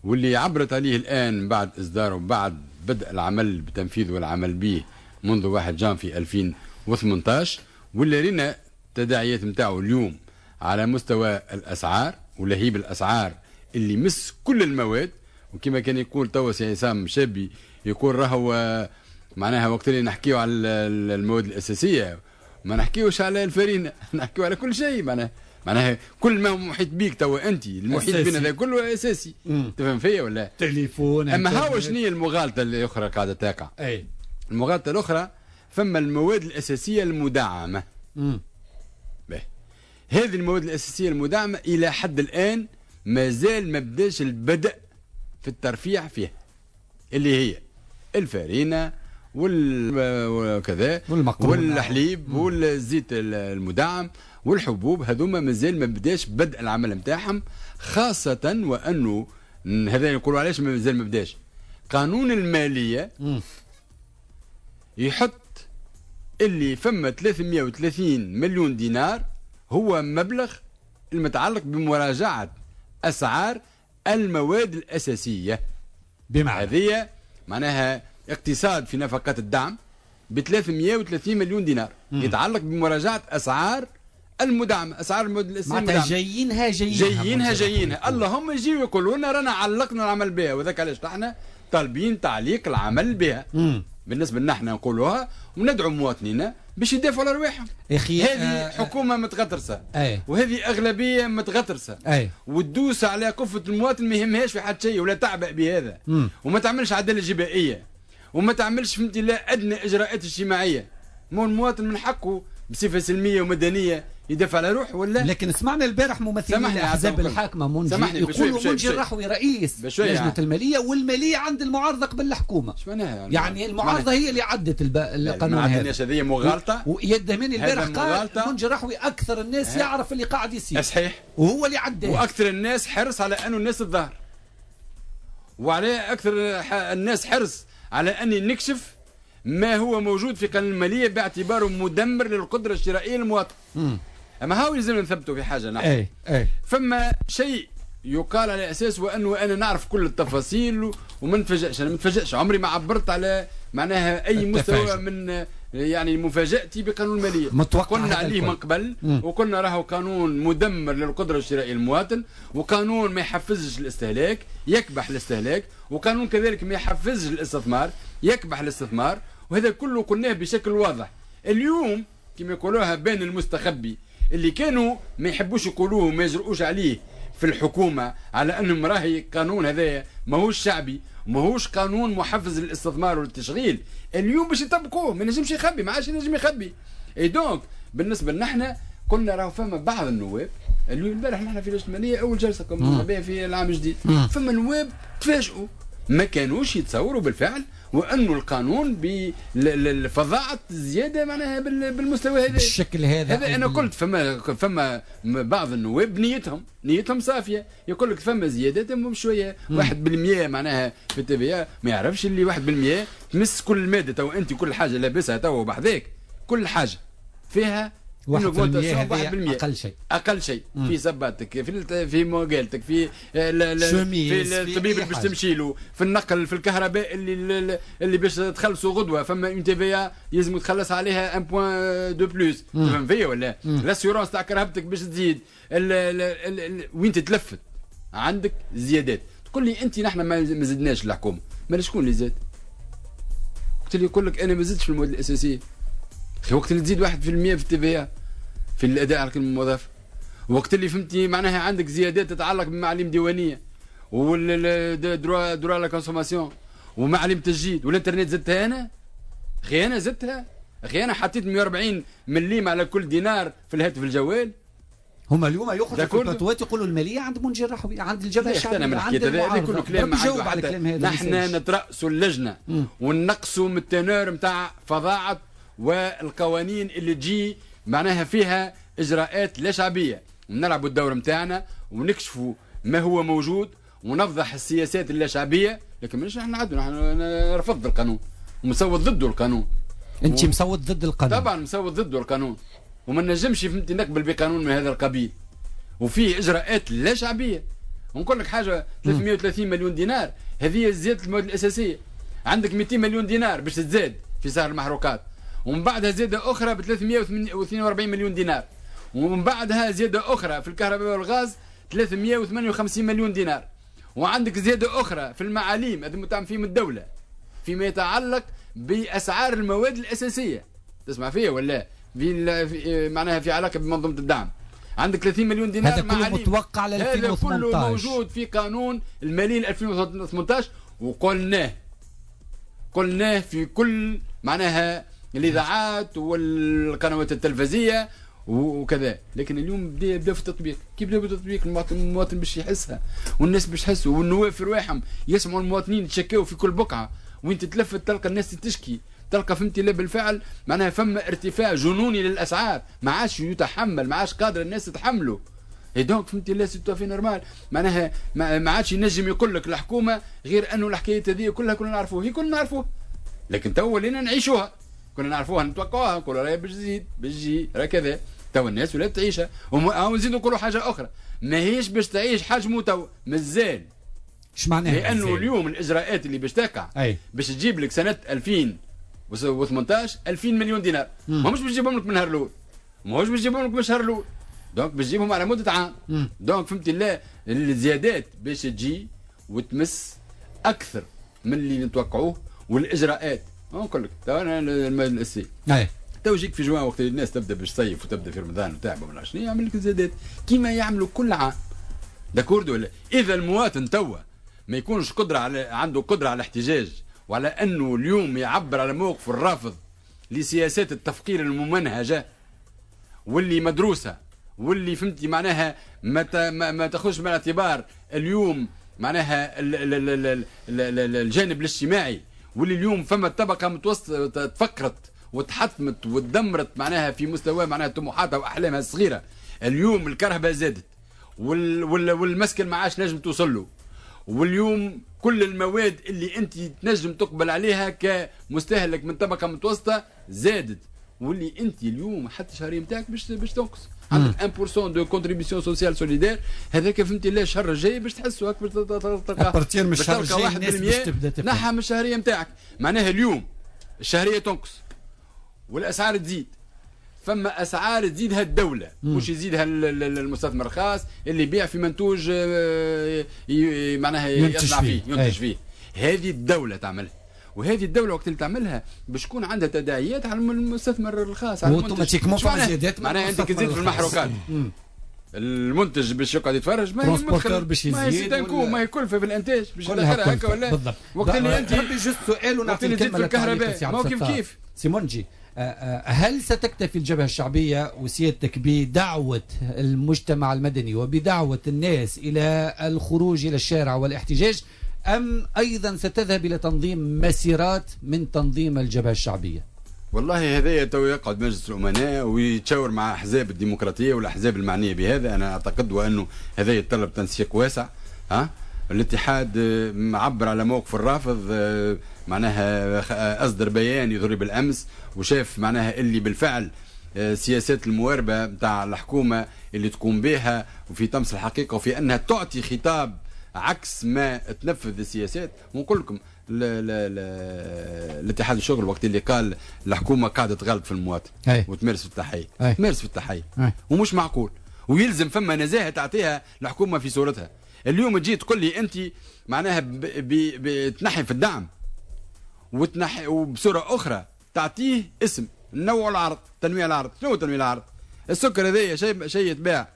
واللي عبرت عليه الان بعد اصداره بعد بدء العمل بتنفيذه والعمل به منذ واحد جانفي ألفين وثمنطاش، واللي رينا التداعيات نتاعو اليوم على مستوى الاسعار ولهيب الاسعار اللي مس كل المواد. وكما كان يقول توا سي عصام شابي، يقول راهو معناها وقت اللي نحكيو على المواد الاساسية ما نحكيوش على الفرينة، نحكيو على كل شيء. معناها معناها كل ما هو محيط بيك توا انت المحيط بينا هذا كله اساسي. تفهم فيا ولا؟ تليفون. اما هاو شنو هي المغالطة الاخرى قاعدة تقع؟ اي المغالطة الاخرى فما المواد الاساسية المدعمه. امم باهي، هذه المواد الاساسية المدعمه الى حد الان مازال ما بداش البدء في الترفيع فيها، اللي هي الفارينه وكذا والحليب والزيت المدعم والحبوب، هذوما مازال ما بداش بدء العمل نتاعهم، خاصة وأنه هذا يقولوا علاش مازال ما بداش. قانون المالية مم. يحط اللي فما ثلاثمية وثلاثين مليون دينار هو مبلغ المتعلق بمراجعة أسعار المواد الأساسية. بمعنى هذه معناها اقتصاد في نفقات الدعم ب ثلاثمية وثلاثين مليون دينار مم. يتعلق بمراجعة أسعار المدعمة، أسعار المواد الأساسية معناتها جايينها جايينها جايينها جايينها اللهم يجيو يقولوا لنا رانا علقنا العمل بها، وذاك علاش نحن طالبين تعليق العمل بها. مم. بالنسبة لنا احنا نقولوها وندعو مواطنينا باش يدافعوا على رواحهم. هذه آه حكومة متغطرسة أي. وهذه أغلبية متغطرسة أي. وتدوس على كفة المواطن ما يهمهاش في حد شيء ولا تعبأ بهذا. مم. وما تعملش عدالة جبائية وما تعملش فهمتي لا أدنى إجراءات اجتماعية. مو المواطن من حقه بصفة سلمية ومدنية يدافع على روحه ولا؟ لكن سمعنا البارح ممثلين الاحزاب الحاكمة منجي يقولوا منجي الرحوي رئيس لجنة المالية، والمالية عند المعارضة قبل الحكومة. اش معناها؟ يعني, يعني المعارضة هي اللي عدت الب... القانون هذا. هذه مغالطة. وإياد دهماني البارح قال منجي الرحوي اكثر الناس يعرف اللي قاعد يصير. صحيح. وهو اللي عداه. واكثر الناس حرص على انه الناس تظهر. وعلى اكثر الناس حرص على اني نكشف ما هو موجود في قانون المالية باعتباره مدمر للقدرة الشرائية للمواطن. اما هاو لازم نثبتوا في حاجة نحن. اي اي فما شيء يقال على اساس وانه انا نعرف كل التفاصيل وما نتفاجئش، انا ما نتفاجئش، عمري ما عبرت على معناها اي مستوى من يعني مفاجاتي بقانون المالية. قلنا عليه من قبل. مم. وقلنا راهو قانون مدمر للقدرة الشرائية للمواطن، وقانون ما يحفزش الاستهلاك، يكبح الاستهلاك، وقانون كذلك ما يحفزش الاستثمار، يكبح الاستثمار، وهذا كله قلناه بشكل واضح. اليوم كما يقولوها بين المستخبي اللي كانوا ما يحبوش يقولوه وما يجرؤوش عليه في الحكومة، على أنهم راهي قانون هذايا ماهوش شعبي، ماهوش قانون محفز للاستثمار والتشغيل، اليوم باش يطبقوه ما ينجمش يخبي، ما عادش ينجم يخبي. et donc بالنسبة لنا احنا قلنا راهو فما بعض النواب اليوم البارح نحن في لجنة المالية أول جلسة كنا بها في العام الجديد، فما نواب تفاجئوا ما كانوش يتصوروا بالفعل وانه القانون بفظاعه الزيادة معناها بالمستوى هذا بالشكل هذا. هذا انا قلت فما فما بعض النواب نيتهم نيتهم صافية، يقول لك فما زيادات شوية واحد بالمية معناها في ال TVA، ما يعرفش اللي واحد بالمية تمس كل مادة. تو انت كل حاجة لابسها تو بحذاك كل حاجة فيها واحد بالمية اقل شيء، اقل شيء في صباتك، في في مقالتك، في في الطبيب اللي باش تمشي له، في النقل، في الكهرباء اللي اللي باش تخلصوا غدوه، فما une TVA لازم تخلص عليها un point de plus، تفهم فيا ولا؟ l'assurance تاع كرهبتك باش تزيد، ال ال ال وين تتلفت عندك زيادات. تقول لي انت نحن ما زدناش الحكومة، ما شكون اللي زاد؟ وقت اللي يقول لك انا ما زدتش في المواد الاساسية، وقت اللي تزيد واحد بالمية في ال TVA في الاداء على القيمة المضافة، وقت اللي فهمتي معناها عندك زيادات تتعلق بمعاليم ديوانيه وال droit droit la consommation ومعاليم تسجيل والانترنت زدتها انا، اخي انا زدتها، اخي انا حطيت مية وأربعين مليم على كل دينار في الهاتف الجوال. هما اليوم يخرجوا في البلاتوات يقولوا المالية عند منجي الرحوي، عند الجبهة الشعبية، عند هذا كله كلام ما على الكلام هذا. نحن نترأسوا اللجنة ونقصوا من ال teneur نتاع فظاعة والقوانين اللي تجي معناها فيها اجراءات لا شعبية، ونلعبوا الدور نتاعنا ونكشفوا ما هو موجود ونفضح السياسات اللا شعبية، لكن مش نحن نعدوا، نحن رفض القانون ومصوت ضده القانون. انت مصوت ضد القانون؟ طبعا مصوت ضده القانون، وما نجمش فهمتي نقبل بقانون من هذا القبيل وفيه اجراءات لا شعبية. ونقول لك حاجة، ثلاثمية وثلاثين مليون دينار هذه زيادة المواد الاساسية، عندك مئتين مليون دينار باش تزاد في سعر المحروقات، ومن بعدها زيادة اخرى ب ثلاثمية واثنين وأربعين مليون دينار، ومن بعدها زيادة اخرى في الكهرباء والغاز ثلاثمية وثمانية وخمسين مليون دينار، وعندك زيادة اخرى في المعاليم هذا متعم فيهم الدولة فيما يتعلق باسعار المواد الاساسية. تسمع فيا ولا؟ في معناها في علاقة بمنظومة الدعم عندك ثلاثين مليون دينار. هذا كله متوقع ل ألفين وثمانية عشر، هذا كله موجود في قانون المالي ألفين وثمانية عشر، وقلناه قلناه في كل معناها الاذاعات والقنوات التلفزيه وكذا. لكن اليوم بدا بدا في التطبيق. كيف بدا في التطبيق؟ المواطن باش يحسها والناس باش تحسوا، والنواب في رواحهم يسمعوا المواطنين يتشكاو في كل بقعة، وين تتلفت تلقى الناس تشكي، تلقى فهمتي لا بالفعل معناها فما ارتفاع جنوني للاسعار ما عادش يتحمل، ما عادش قادر الناس تتحمله. et donc فهمتي لا c'est tout à fait normal، معناها ما عادش ينجم يقول لك الحكومة غير انه الحكاية هذه كلها كنا نعرفوها، هي كنا نعرفوها، لكن تو ولينا نعيشوها، كنا نعرفوها نتوقعوها، نقولوا راهي باش تزيد باش تجي راه كذا، تو الناس ولات تعيشها. ونزيدوا نقولوا حاجة اخرى، ماهيش باش تعيش حجمه تو مازال. اش معناها؟ لانه اليوم الاجراءات اللي باش تقع باش تجيب لك سنة ألفين وثمانية عشر ألفين مليون دينار، ماهمش باش تجيبهم لك من نهار الاول، ماهوش باش تجيبهم لك من الشهر الاول، donc باش تجيبهم على مده عام. donc فهمتي لا الزيادات باش تجي وتمس اكثر من اللي نتوقعوه. والاجراءات نقول لك تو انا السي تو يجيك في جوان وقت الناس تبدا باش تصيف وتبدا في رمضان وتعب وما شنو، يعمل لك زيادات كيما يعملوا كل عام. d'accord ولا؟ اذا المواطن توا ما يكونش قدره على عنده قدره على الاحتجاج وعلى انه اليوم يعبر على موقفه الرافض لسياسات التفقير الممنهجه واللي مدروسة واللي فهمتي معناها ما ما تاخذش بالاعتبار اليوم معناها ال ال ال ال ال الجانب الاجتماعي، واللي اليوم فما طبقه متوسطه تفكرت وتحطمت وتدمرت معناها في مستوى معناها طموحاتها واحلامها الصغيرة. اليوم الكهرباء زادت وال وال والمسكن ما عادش نجم توصل له، واليوم كل المواد اللي انت تنجم تقبل عليها كمستهلك من طبقه متوسطه زادت، واللي انت اليوم حتى الشهرية نتاعك باش باش تنقص. عندك واحد بالمية de contribution sociale solidaire، هذاك فهمتي لا الشهر الجاي باش تحسوا هاك باش تلقى à partir من الشهر الجاي الناس باش تبدا تفهم نحى من الشهرية نتاعك. معناها اليوم الشهرية تنقص والاسعار تزيد، فما اسعار تزيدها الدولة مش يزيدها المستثمر الخاص اللي يبيع في منتوج معناها يصنع فيه ينتج فيه. هذه الدولة تعملها، وهذه الدولة وقت اللي تعملها باش تكون عندها تداعيات على المستثمر الخاص على المنتج. automatiquement فما زيادات، معناها انت كي تزيد في المحروقات المنتج باش يقعد يتفرج، ما هي باش يزيد، ما هي كلفه في الانتاج باش تدخلها هكا ولا بالضبط. وقت اللي انت juste سؤال ونعطيك الكلمة في الكهرباء ما هو كيف كيف سيمونجي، هل ستكتفي الجبهة الشعبية وسيادتك بدعوة المجتمع المدني وبدعوة الناس إلى الخروج إلى الشارع والاحتجاج، أم أيضا ستذهب إلى تنظيم مسيرات من تنظيم الجبهة الشعبية؟ والله هذا تو يقعد مجلس الأمناء ويتشاور مع أحزاب الديمقراطية والأحزاب المعنية بهذا. أنا أعتقد وأنه هذا يتطلب تنسيق واسع. ها الاتحاد معبر على موقف الرافض، معناها أصدر بيان يضرب بالأمس وشاف معناها اللي بالفعل سياسات المواربة نتاع الحكومة اللي تقوم بها وفي طمس الحقيقة وفي أنها تعطي خطاب عكس ما تنفذ السياسات. ونقول لكم الاتحاد الشغل وقت اللي قال الحكومة قاعدة تغلط في المواطن وتمارس في التحية، تمارس في التحية ومش معقول، ويلزم فما نزاهة تعطيها الحكومة في صورتها. اليوم تجي تقول لي انت معناها بتنحي في الدعم وتنحي وبصورة اخرى تعطيه اسم نوع العرض، تنويع العرض. شنو تنويع العرض؟ السكر هذايا شيء شيء يتباع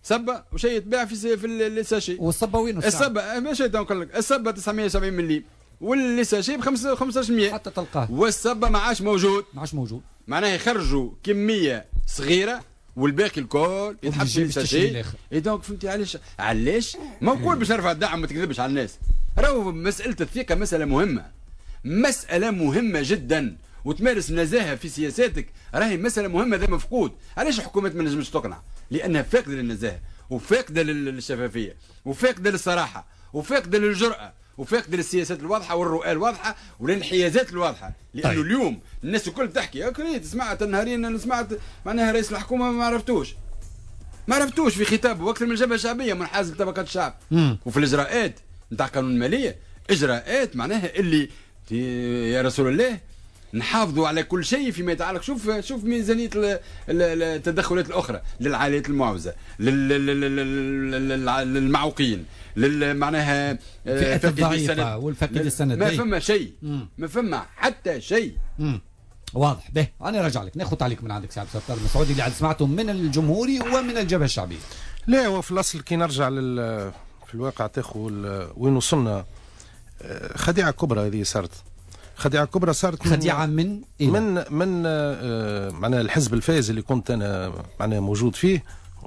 سبه وشيء يتباع في في ال sachet. والصبه وين الصبه؟ ماشي نقول لك الصبه تسعمية وسبعين مليم وال sachet ب خمسمية حتى تلقاه، والصبه ما عادش موجود، ما عادش موجود. معناها يخرجوا كمية صغيرة والباقي الكل يتحط في ال sachet. et donc فهمتي علاش؟ علاش ما نقول باش نرفع الدعم، ما تكذبش على الناس. راهو مسالة الثقة مسالة مهمة، مسالة مهمة جدا، وتمارس النزاهة في سياساتك راهي مسالة مهمة. هذا مفقود. علاش الحكومات ما نجمش تقنع؟ لانها فاقده للنزاهه وفاقده للشفافيه وفاقده للصراحه وفاقده للجرأه وفاقده للسياسات الواضحة والرؤى الواضحة والانحيازات الواضحة. لانه طيب. اليوم الناس الكل تحكي okay سمعت النهارين انا سمعت معناها رئيس الحكومة ما عرفتوش ما عرفتوش في خطابه واكثر من الجبهة الشعبية منحاز لطبقات الشعب. مم. وفي الاجراءات نتاع قانون المالية اجراءات معناها اللي يا رسول الله نحافظوا على كل شيء فيما يتعلق. شوف شوف ميزانية التدخلات الاخرى للعائلات المعوزه، للمعوقين، معناها الفئات الضعيفة والفقيد السند. ما فما شيء، ما فما حتى شيء. مم. واضح. به انا راجع لك ناخذ تعليق من عندك سي عبد الستار المسعودي اللي عاد سمعته من الجمهوري ومن الجبهة الشعبية. لا هو في الاصل كي نرجع لل في الواقع تاخذ وين وصلنا، خديعة كبرى هذه صارت. خديعة كبرى صارت من خديعة من إيه؟ من من آه معناها الحزب الفائز اللي كنت انا معناها موجود فيه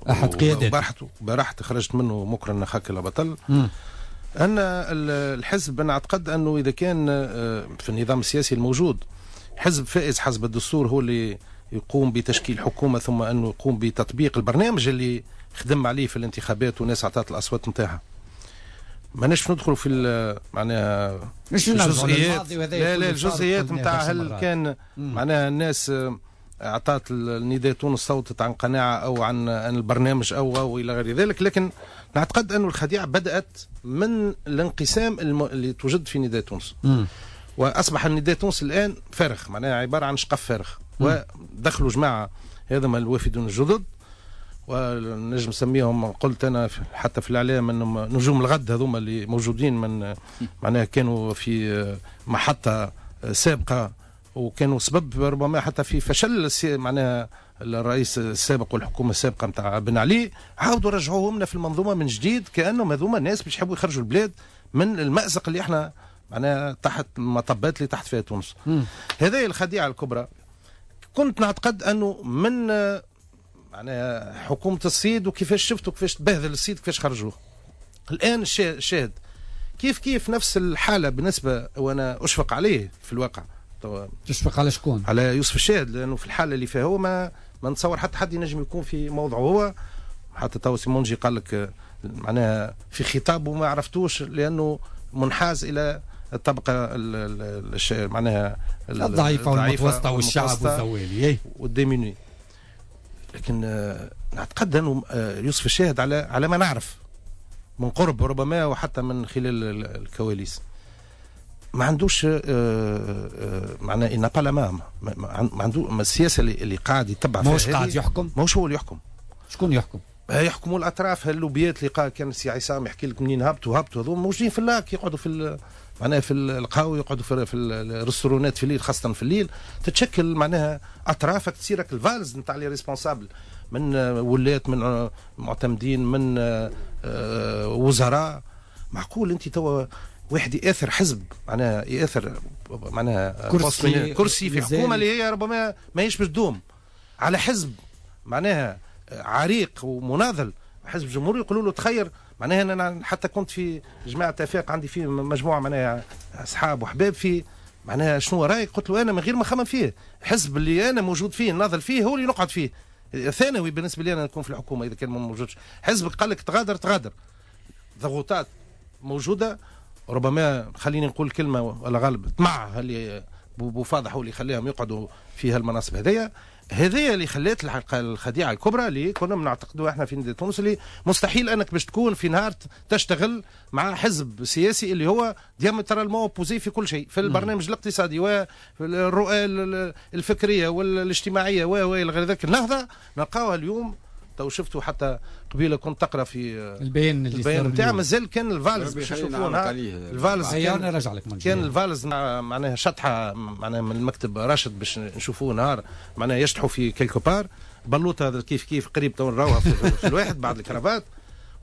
احد قيادات برحت برحت خرجت منه مكرا خاك بطل. مم. ان الحزب انا اعتقد انه اذا كان في النظام السياسي الموجود حزب فائز حسب الدستور هو اللي يقوم بتشكيل حكومة ثم انه يقوم بتطبيق البرنامج اللي خدم عليه في الانتخابات والناس اعطت الاصوات نتاعها. ماناش ندخلوا في معناها مش الجزئيات، لا لا الجزئيات نتاع هل كان معناها الناس اعطت النداء تونس صوتت عن قناعة او عن عن البرنامج او او الى غير ذلك، لكن نعتقد أن الخديعة بدات من الانقسام اللي توجد في نداء تونس. مم. واصبح النداء تونس الان فارغ، معناها عبارة عن شقف فارغ، ودخلوا جماعة هذا الوافدون الجدد ونجم نسميهم قلت انا حتى في الاعلام انهم نجوم الغد، هذوما اللي موجودين من معناها كانوا في محطة سابقه وكانوا سبب ربما حتى في فشل معناها الرئيس السابق والحكومة السابقة نتاع بن علي، عاودوا رجعوهم لنا في المنظومة من جديد كانهم هذوما الناس باش يحبوا يخرجوا البلاد من المأزق اللي احنا معناها تحت المطبات اللي تحت فيها تونس. هذه الخديعة الكبرى. كنت نعتقد انه من معناها حكومة الصيد وكيفاش شفتوا كيفاش تبهذل الصيد كيفاش خرجوه. الآن الشاهد كيف كيف نفس الحالة بالنسبة، وأنا أشفق عليه في الواقع. تشفق على شكون؟ على يوسف الشاهد، لأنه في الحالة اللي فيها هو ما ما نتصور حتى حد ينجم يكون في موضعه هو. حتى تو سيمونجي قال لك معناها في خطابه ما عرفتوش لأنه منحاز إلى الطبقة معناها الضعيفة والمتوسطة والشعب والزوالي وال démunis. لكن نعتقد انه يوسف الشاهد على على ما نعرف من قرب ربما وحتى من خلال الكواليس ما عندوش معناه ان با لا ما عنده السياسة اللي, اللي قاعد يتبع فيها. ماهوش قاعد يحكم، ماهوش هو اللي يحكم. شكون يحكم؟ يحكموا الاطراف هاللوبيات اللي قال كان السي عصام يحكي لك منين هبطوا هبطوا هذو موجودين في اللاك، يقعدوا في معناها في القهوة، يقعدوا في, في الريستورونات في الليل، خاصة في الليل تتشكل معناها اطرافك تصيرك ال valse نتاع les responsables من ولات من معتمدين من وزراء. معقول انت توا واحد ياثر حزب معناها ياثر معناها كرسي, كرسي في حكومة اللي هي ربما ماهيش باش تدوم على حزب معناها عريق ومناضل حزب جمهوري يقولوا له تخير. معناها انا حتى كنت في جماعة افاق عندي في مجموعة معناها اصحاب وحباب في معناها شنو رايك؟ قلت له انا من غير ما نخمم فيه، الحزب اللي انا موجود فيه ناضل فيه هو اللي نقعد فيه، ثانوي بالنسبة لي انا نكون في الحكومة اذا كان ما موجودش. حزبك قال لك تغادر تغادر. ضغوطات موجودة ربما، خليني نقول كلمة ولا غالب طمع اللي بوفاضح هو اللي خليهم يقعدوا في هالمناصب هذيا. هذه اللي خلات الخديعة الكبرى اللي كنا بنعتقدوها احنا في نداء تونس، اللي مستحيل انك باش تكون في نهار تشتغل مع حزب سياسي اللي هو diamétralement opposé في كل شيء، في البرنامج الاقتصادي والرؤى الفكرية والاجتماعية و الى غير ذلك. النهضة نلقاوها اليوم تو شفتوا حتى قبيلة كنت تقرا في البيان اللي البيان نتاع مازال كان ال valse باش نشوفوه ال valse كان رجع لك كان ال valse معناها شطحة معناها من المكتب راشد باش نشوفوه نهار معناها يشطحوا في quelque part بلوطه هذا كيف كيف قريب تو نراوها في, في الواحد بعد الكرافات.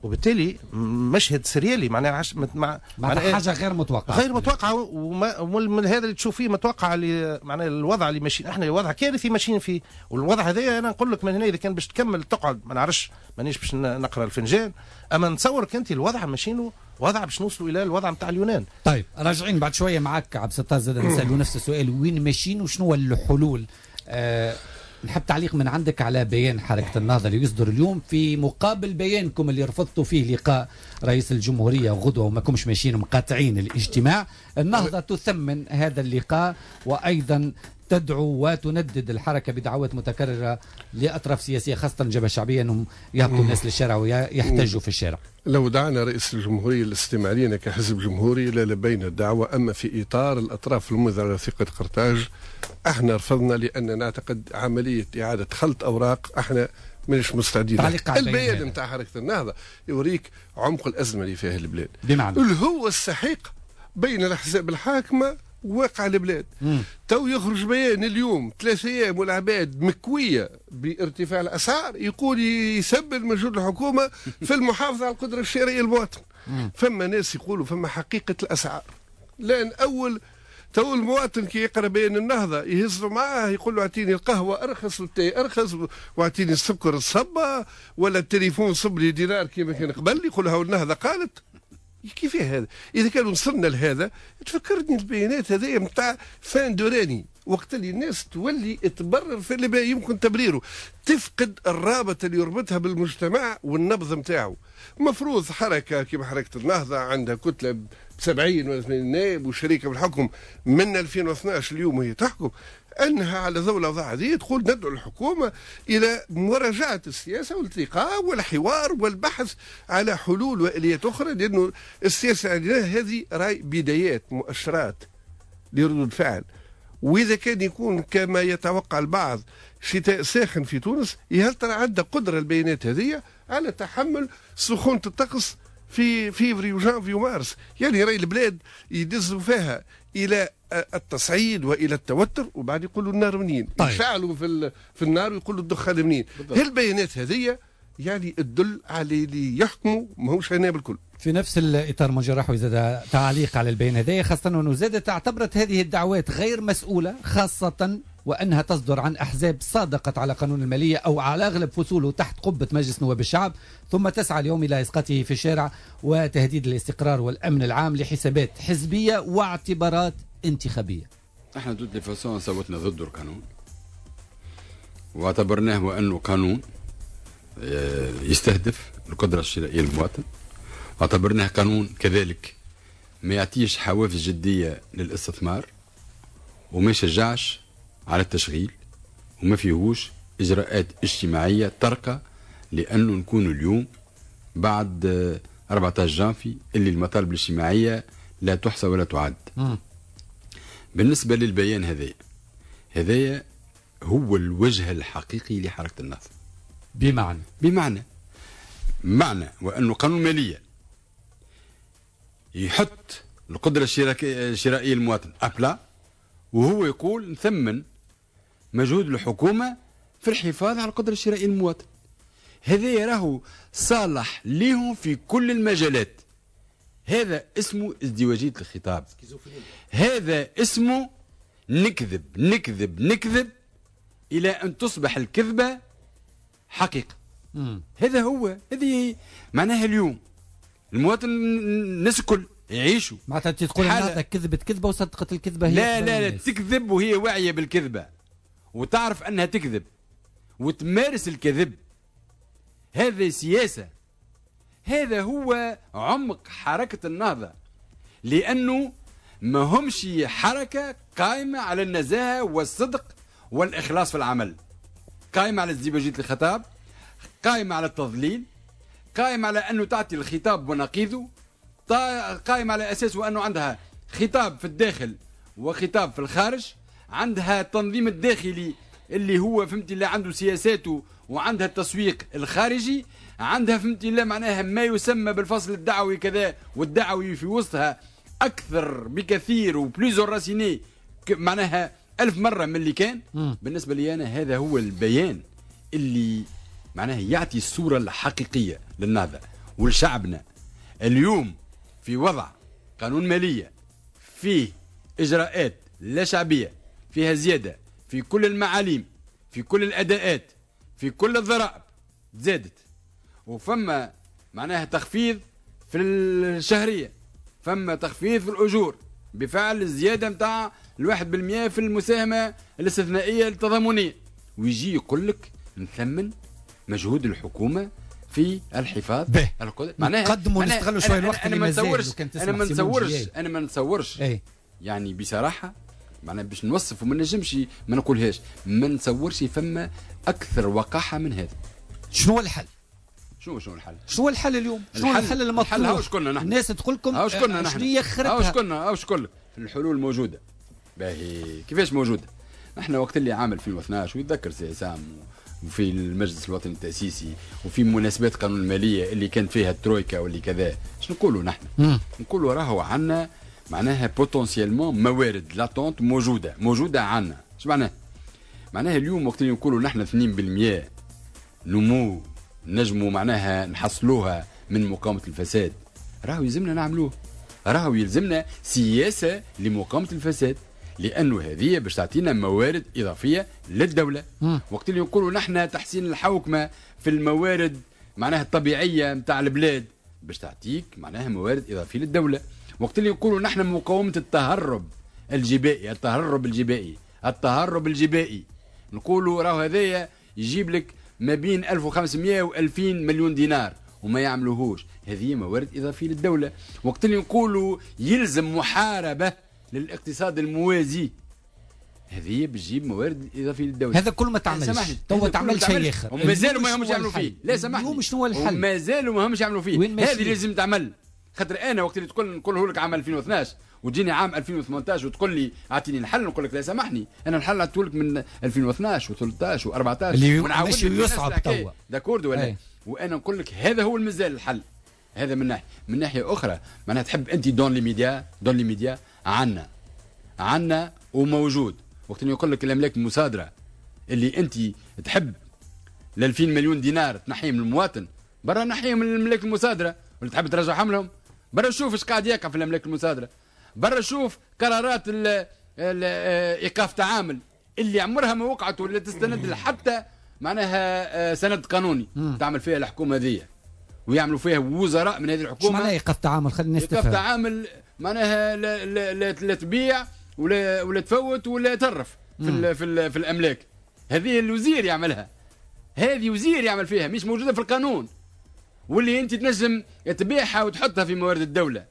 وبالتالي مشهد سريالي معناها عش... مع معناها حاجة غير متوقعه، غير متوقعه، وما ومن هذا اللي تشوف فيه متوقع اللي معناها الوضع اللي ماشيين احنا، الوضع كارثي ماشيين فيه. والوضع هذا انا نقول لك من هنا اذا كان باش تكمل تقعد ما نعرفش، مانيش باش نقرا الفنجان، اما نتصورك انت الوضع ماشيينه وضع باش نوصلوا الى الوضع نتاع اليونان. طيب راجعين بعد شوية معك عبد الستار زاد نسالوا نفس السؤال، وين ماشيين وشنو الحلول؟ آه نحب تعليق من عندك على بيان حركة النهضة اللي يصدر اليوم في مقابل بيانكم اللي رفضتوا فيه لقاء رئيس الجمهورية غدوة وما كمش ماشيين مقاطعين الاجتماع. النهضة تثمن هذا اللقاء وأيضا تدعو وتندد الحركة بدعوات متكررة لأطراف سياسية خاصة الجبهة الشعبية أنهم يهبطوا الناس للشارع ويحتجوا في الشارع. لو دعنا رئيس الجمهورية للاستماع لنا كحزب جمهوري للبينا الدعوة، أما في إطار الأطراف الممضية على وثيقة قرطاج احنا رفضنا، لأن نعتقد عملية إعادة خلط أوراق احنا مش مستعدين. البيان نتاع حركة النهضة يوريك عمق الأزمة اللي فيها البلاد، بمعنى اللي هو السحيق بين الأحزاب الحاكمة وواقع البلاد. مم. تو يخرج بيان اليوم ثلاث ايام والعباد مكويه بارتفاع الاسعار، يقول يسبب مجهود الحكومة في المحافظة على القدرة الشرائية للمواطن. فما ناس يقولوا فما حقيقة الاسعار، لان اول تو المواطن كي يقرا بيان النهضة يهزوا معاه يقول له اعطيني القهوة ارخص والتاي ارخص واعطيني السكر الصبه ولا التليفون صب لي دينار كيما كان قبل، يقول له النهضة قالت. كيف هذا؟ إذا كان وصلنا لهذا تفكرني البيانات هذه نتاع fin de règne، وقت اللي الناس تولي تبرر في اللي يمكن تبريره، تفقد الرابط اللي يربطها بالمجتمع والنبض نتاعو. مفروض حركة كما حركة النهضة عندها كتلة ب سبعين ولا ثمانين نائب وشريكة بالحكم من ألفين واثناش اليوم وهي تحكم، أنها على ضوء الأوضاع هذه تقول ندعو الحكومة إلى مراجعة السياسة والالتقاء والحوار والبحث على حلول وآليات أخرى، لأنه السياسة عندنا هذه راي بدايات مؤشرات لردود فعل. وإذا كان يكون كما يتوقع البعض شتاء ساخن في تونس، هل ترى عندها قدرة البيانات هذه على تحمل سخونة الطقس في فيفري وجانفي ومارس؟ يعني راي البلاد يدزوا فيها الى التصعيد والى التوتر، وبعد يقولوا النار منين؟ طيب. يشعلوا في في النار ويقولوا الدخان منين؟ هالبيانات هذه يعني تدل على اللي يحكموا ماهوش هنا بالكل. في نفس الاطار منجي الرحوي زاد تعليق على البيان هذا، خاصة انه زادت اعتبرت هذه الدعوات غير مسؤولة، خاصة وأنها تصدر عن أحزاب صادقت على قانون المالية أو على أغلب فصوله تحت قبة مجلس نواب الشعب، ثم تسعى اليوم إلى إسقاطه في الشارع وتهديد الاستقرار والأمن العام لحسابات حزبية واعتبارات انتخابية. احنا de toute façon صوتنا ضد القانون واعتبرناه وأنه قانون يستهدف القدرة الشرائية للمواطن، واعتبرناه قانون كذلك ما يعطيش حوافز جدية للاستثمار وما يشجعش على التشغيل وما فيهوش إجراءات اجتماعية ترقى، لأنه نكون اليوم بعد أربعة عشر جانفي اللي المطالب الاجتماعية لا تحصى ولا تعد. م. بالنسبة للبيان هذايا، هذايا هو الوجه الحقيقي لحركة النهضة. بمعنى بمعنى معنى وأنه قانون مالية يحط القدرة الشرائية للمواطن à plat، وهو يقول نثمن مجهود الحكومة في الحفاظ على القدرة الشرائية للمواطن. هذا راهو صالح ليهم في كل المجالات. هذا اسمه ازدواجية الخطاب، هذا اسمه نكذب نكذب نكذب إلى أن تصبح الكذبة حقيقة. مم. هذا هو، هذه معناها اليوم المواطن الناس الكل يعيشوا. معناتها تقول النهضة كذبت كذبة وصدقت الكذبة هي؟ لا لا لا، تكذب وهي واعية بالكذبة وتعرف أنها تكذب وتمارس الكذب. هذا سياسة، هذا هو عمق حركة النهضة، لأنه ما همش حركة قائمة على النزاهة والصدق والإخلاص في العمل، قائمة على ازدواجية الخطاب، قائمة على التضليل، قائمة على أنه تعطي الخطاب ونقيضه، قائمة على أساس وأنه عندها خطاب في الداخل وخطاب في الخارج، عندها التنظيم الداخلي اللي هو فهمتي اللي عنده سياساته، وعندها التسويق الخارجي، عندها فهمتي لا معناها ما يسمى بالفصل الدعوي كذا، والدعوي في وسطها أكثر بكثير و plus enraciné معناها ألف مرة من اللي كان. م. بالنسبة لي أنا هذا هو البيان اللي معناها يعطي الصورة الحقيقية للنهضة. ولشعبنا. اليوم في وضع قانون ماليه فيه اجراءات لا شعبية، فيها زيادة في كل المعاليم، في كل الاداءات، في كل الضرائب زادت، وفما معناها تخفيض في الشهرية، فما تخفيض في الاجور بفعل الزيادة نتاع الواحد بالمئة في المساهمة الاستثنائية التضامنيه، ويجي يقول لك نثمن مجهود الحكومة في الحفاظ على القدرة. معناها نقدموا نستغلوا شوية الوقت اللي مازال. انا ما نتصورش انا ما نتصورش يعني بصراحة، معناها باش نوصف وما نجمش ما نقولهاش، ما نتصورش فما اكثر وقاحه من هذا. شنو هو الحل؟ شنو شنو الحل؟ شنو الحل اليوم؟ شنو الحل المطلوب؟ الحل هاو شكلنا نحن؟ الناس تقول لكم هاو شكلنا نحن؟ شنو هي هاو شكلنا هاو شكل الحلول موجودة. باهي كيفاش موجودة؟ نحن وقت اللي عام ألفين واثناش ويتذكر سي عصام وفي المجلس الوطني التأسيسي وفي مناسبات قانون المالية اللي كانت فيها الترويكا واللي كذا، شنو نقولوا نحن؟ نقولوا راهو عندنا معناها potentiellement موارد latentes موجودة، موجودة عندنا. اش معناها؟ معناها اليوم وقت اللي نقولوا نحن اثنين بالمئة نمو نجموا معناها نحصلوها من مقاومة الفساد، راهو يلزمنا نعملوه، راهو يلزمنا سياسة لمقاومة الفساد، لأنه هذه باش تعطينا موارد إضافية للدولة. مم. وقت اللي نقولوا نحن تحسين الحوكمة في الموارد معناها الطبيعية متاع البلاد باش تعطيك معناها موارد إضافية للدولة. وقت اللي نقولوا نحن مقاومة التهرب الجبائي، التهرب الجبائي، التهرب الجبائي، نقولوا راهو هذايا يجيب لك ما بين ألف وخمسمئة و ألفين مليون دينار وما يعملوهوش، هذه موارد إضافية للدولة. وقت اللي نقولوا يلزم محاربة للاقتصاد الموازي، هذه بتجيب موارد إضافية للدولة. هذا كل ما تعملش تو تعمل شيء آخر، ومازالوا ما همش يعملوا فيه. لا سامحني، شنو هو الحل؟ ومازالوا ما همش يعملوا فيه. هذه لازم تعمل، خاطر أنا وقت اللي تقول نقوله لك عام ألفين واثناش وتجيني عام ألفين وثمانطاش وتقول لي اعطيني الحل، نقول لك لا سامحني، انا الحل عطيته لك من ألفين واثناش وثلاثطاش وأربعطاش اللي ماشي يصعب توا، d'accord ولا؟ وانا نقول لك هذا هو المازال الحل. هذا من ناحية، من ناحية اخرى معناها تحب انت dans l'immédiat، dans l'immédiat عنا عنا وموجود. وقت اللي يقول لك الاملاك المصادرة اللي انت تحب ل ألفين مليون دينار تنحيهم من المواطن، برا نحيهم من الاملاك المصادرة، ولا تحب ترجعهم لهم؟ برا شوف ايش قاعد يقع في الاملاك المصادرة، برا شوف قرارات ال ال ايقاف تعامل اللي عمرها ما وقعت ولا تستند حتى معناها سند قانوني. مم. تعمل فيها الحكومة هذه ويعملوا فيها وزراء من هذه الحكومة. شو معناها ايقاف تعامل؟ خلينا الناس تفهم. ايقاف تعامل معناها لا, لا, لا, لا تبيع ولا ولا تفوت ولا ترف في ال في, ال في الاملاك. هذه الوزير يعملها، هذه وزير يعمل فيها، مش موجودة في القانون، واللي انت تنجم تبيعها وتحطها في موارد الدولة.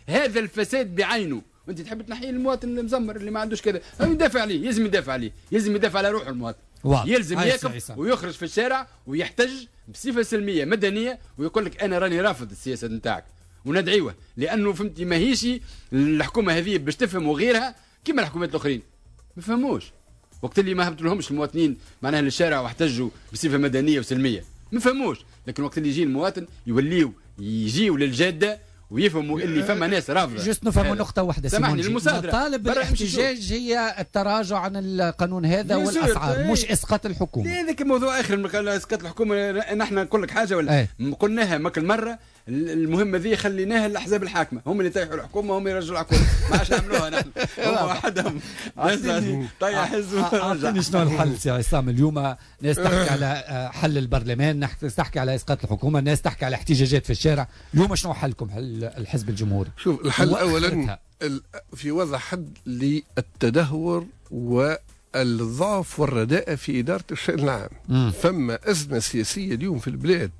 هذا الفساد بعينه، وانت تحب تنحيه المواطن المزمر اللي ما عندوش كذا، يدافع عليه، يلزم يدافع عليه، يلزم يدافع على روحه المواطن. واضح. يلزم يقف ويخرج في الشارع ويحتج بصفة سلمية مدنية ويقول لك انا راني رافض السياسة نتاعك، وندعيوه، لانه فهمتي ماهيش الحكومة هذه باش تفهم وغيرها كما الحكومات الاخرين ما فهموش. وقت اللي ما هبطوا لهمش المواطنين معناها للشارع واحتجوا بصفة مدنية وسلميه ما فهموش، لكن وقت اللي يجي المواطن يوليو يجيو للجاده ويفهموا اللي فما ناس رافضه. juste نفهموا نقطة واحدة سامحني، المصادرة مطالب الاحتجاج هي التراجع عن القانون هذا والاسعار، مش اسقاط الحكومة. هذاك موضوع اخر من اسقاط الحكومة. نحن نقول لك حاجة ولا ايه؟ قلناها ماك المرة، المهمة ذي خليناها للاحزاب الحاكمة، هم اللي يطيحوا الحكومة، هم يرجعوا الحكومة، ما عادش نعملوها نحن، هم وحدهم طيح حزب. اعطيني شنو الحل سي عصام؟ اليوم ناس تحكي على حل البرلمان، ناس تحكي على اسقاط الحكومة، ناس تحكي على احتجاجات في الشارع، اليوم شنو حلكم حل الحزب الجمهوري؟ شوف الحل اولا في وضع حد للتدهور والضعف والرداءة في إدارة الشأن العام. مم. فما أزمة سياسية اليوم في البلاد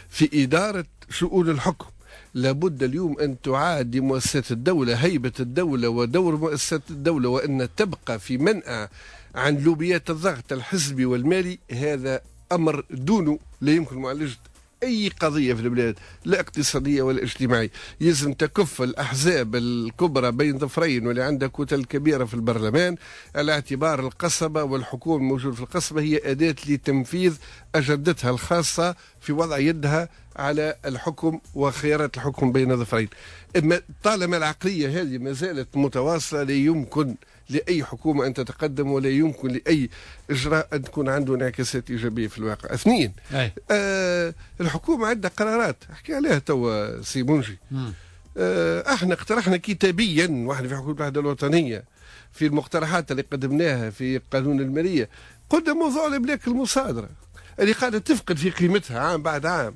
في إدارة شؤون الحكم. لابد اليوم أن تعاد لمؤسسات الدولة هيبة الدولة ودور مؤسسات الدولة، وأن تبقى في منأى عن لوبيات الضغط الحزبي والمالي. هذا أمر دونه لا يمكن معالجة أي قضية في البلاد، لا اقتصادية ولا اجتماعية. يلزم تكف الأحزاب الكبرى بين ظفرين واللي عندها كتل كبيرة في البرلمان على اعتبار القصبة والحكومة الموجودة في القصبة هي أداة لتنفيذ أجندتها الخاصة في وضع يدها على الحكم وخيارات الحكم بين ظفرين. اما طالما العقلية هذه ما زالت متواصلة لا يمكن لاي حكومة ان تتقدم، ولا يمكن لاي اجراء ان تكون عنده انعكاسات ايجابية في الواقع. اثنين، آه الحكومة عندها قرارات احكي عليها توا سي منجي. آه احنا اقترحنا كتابيا واحنا في حكومة الوحدة الوطنية في المقترحات اللي قدمناها في قانون المالية، قلنا موضوع الاملاك المصادرة اللي قاعدة تفقد في قيمتها عام بعد عام،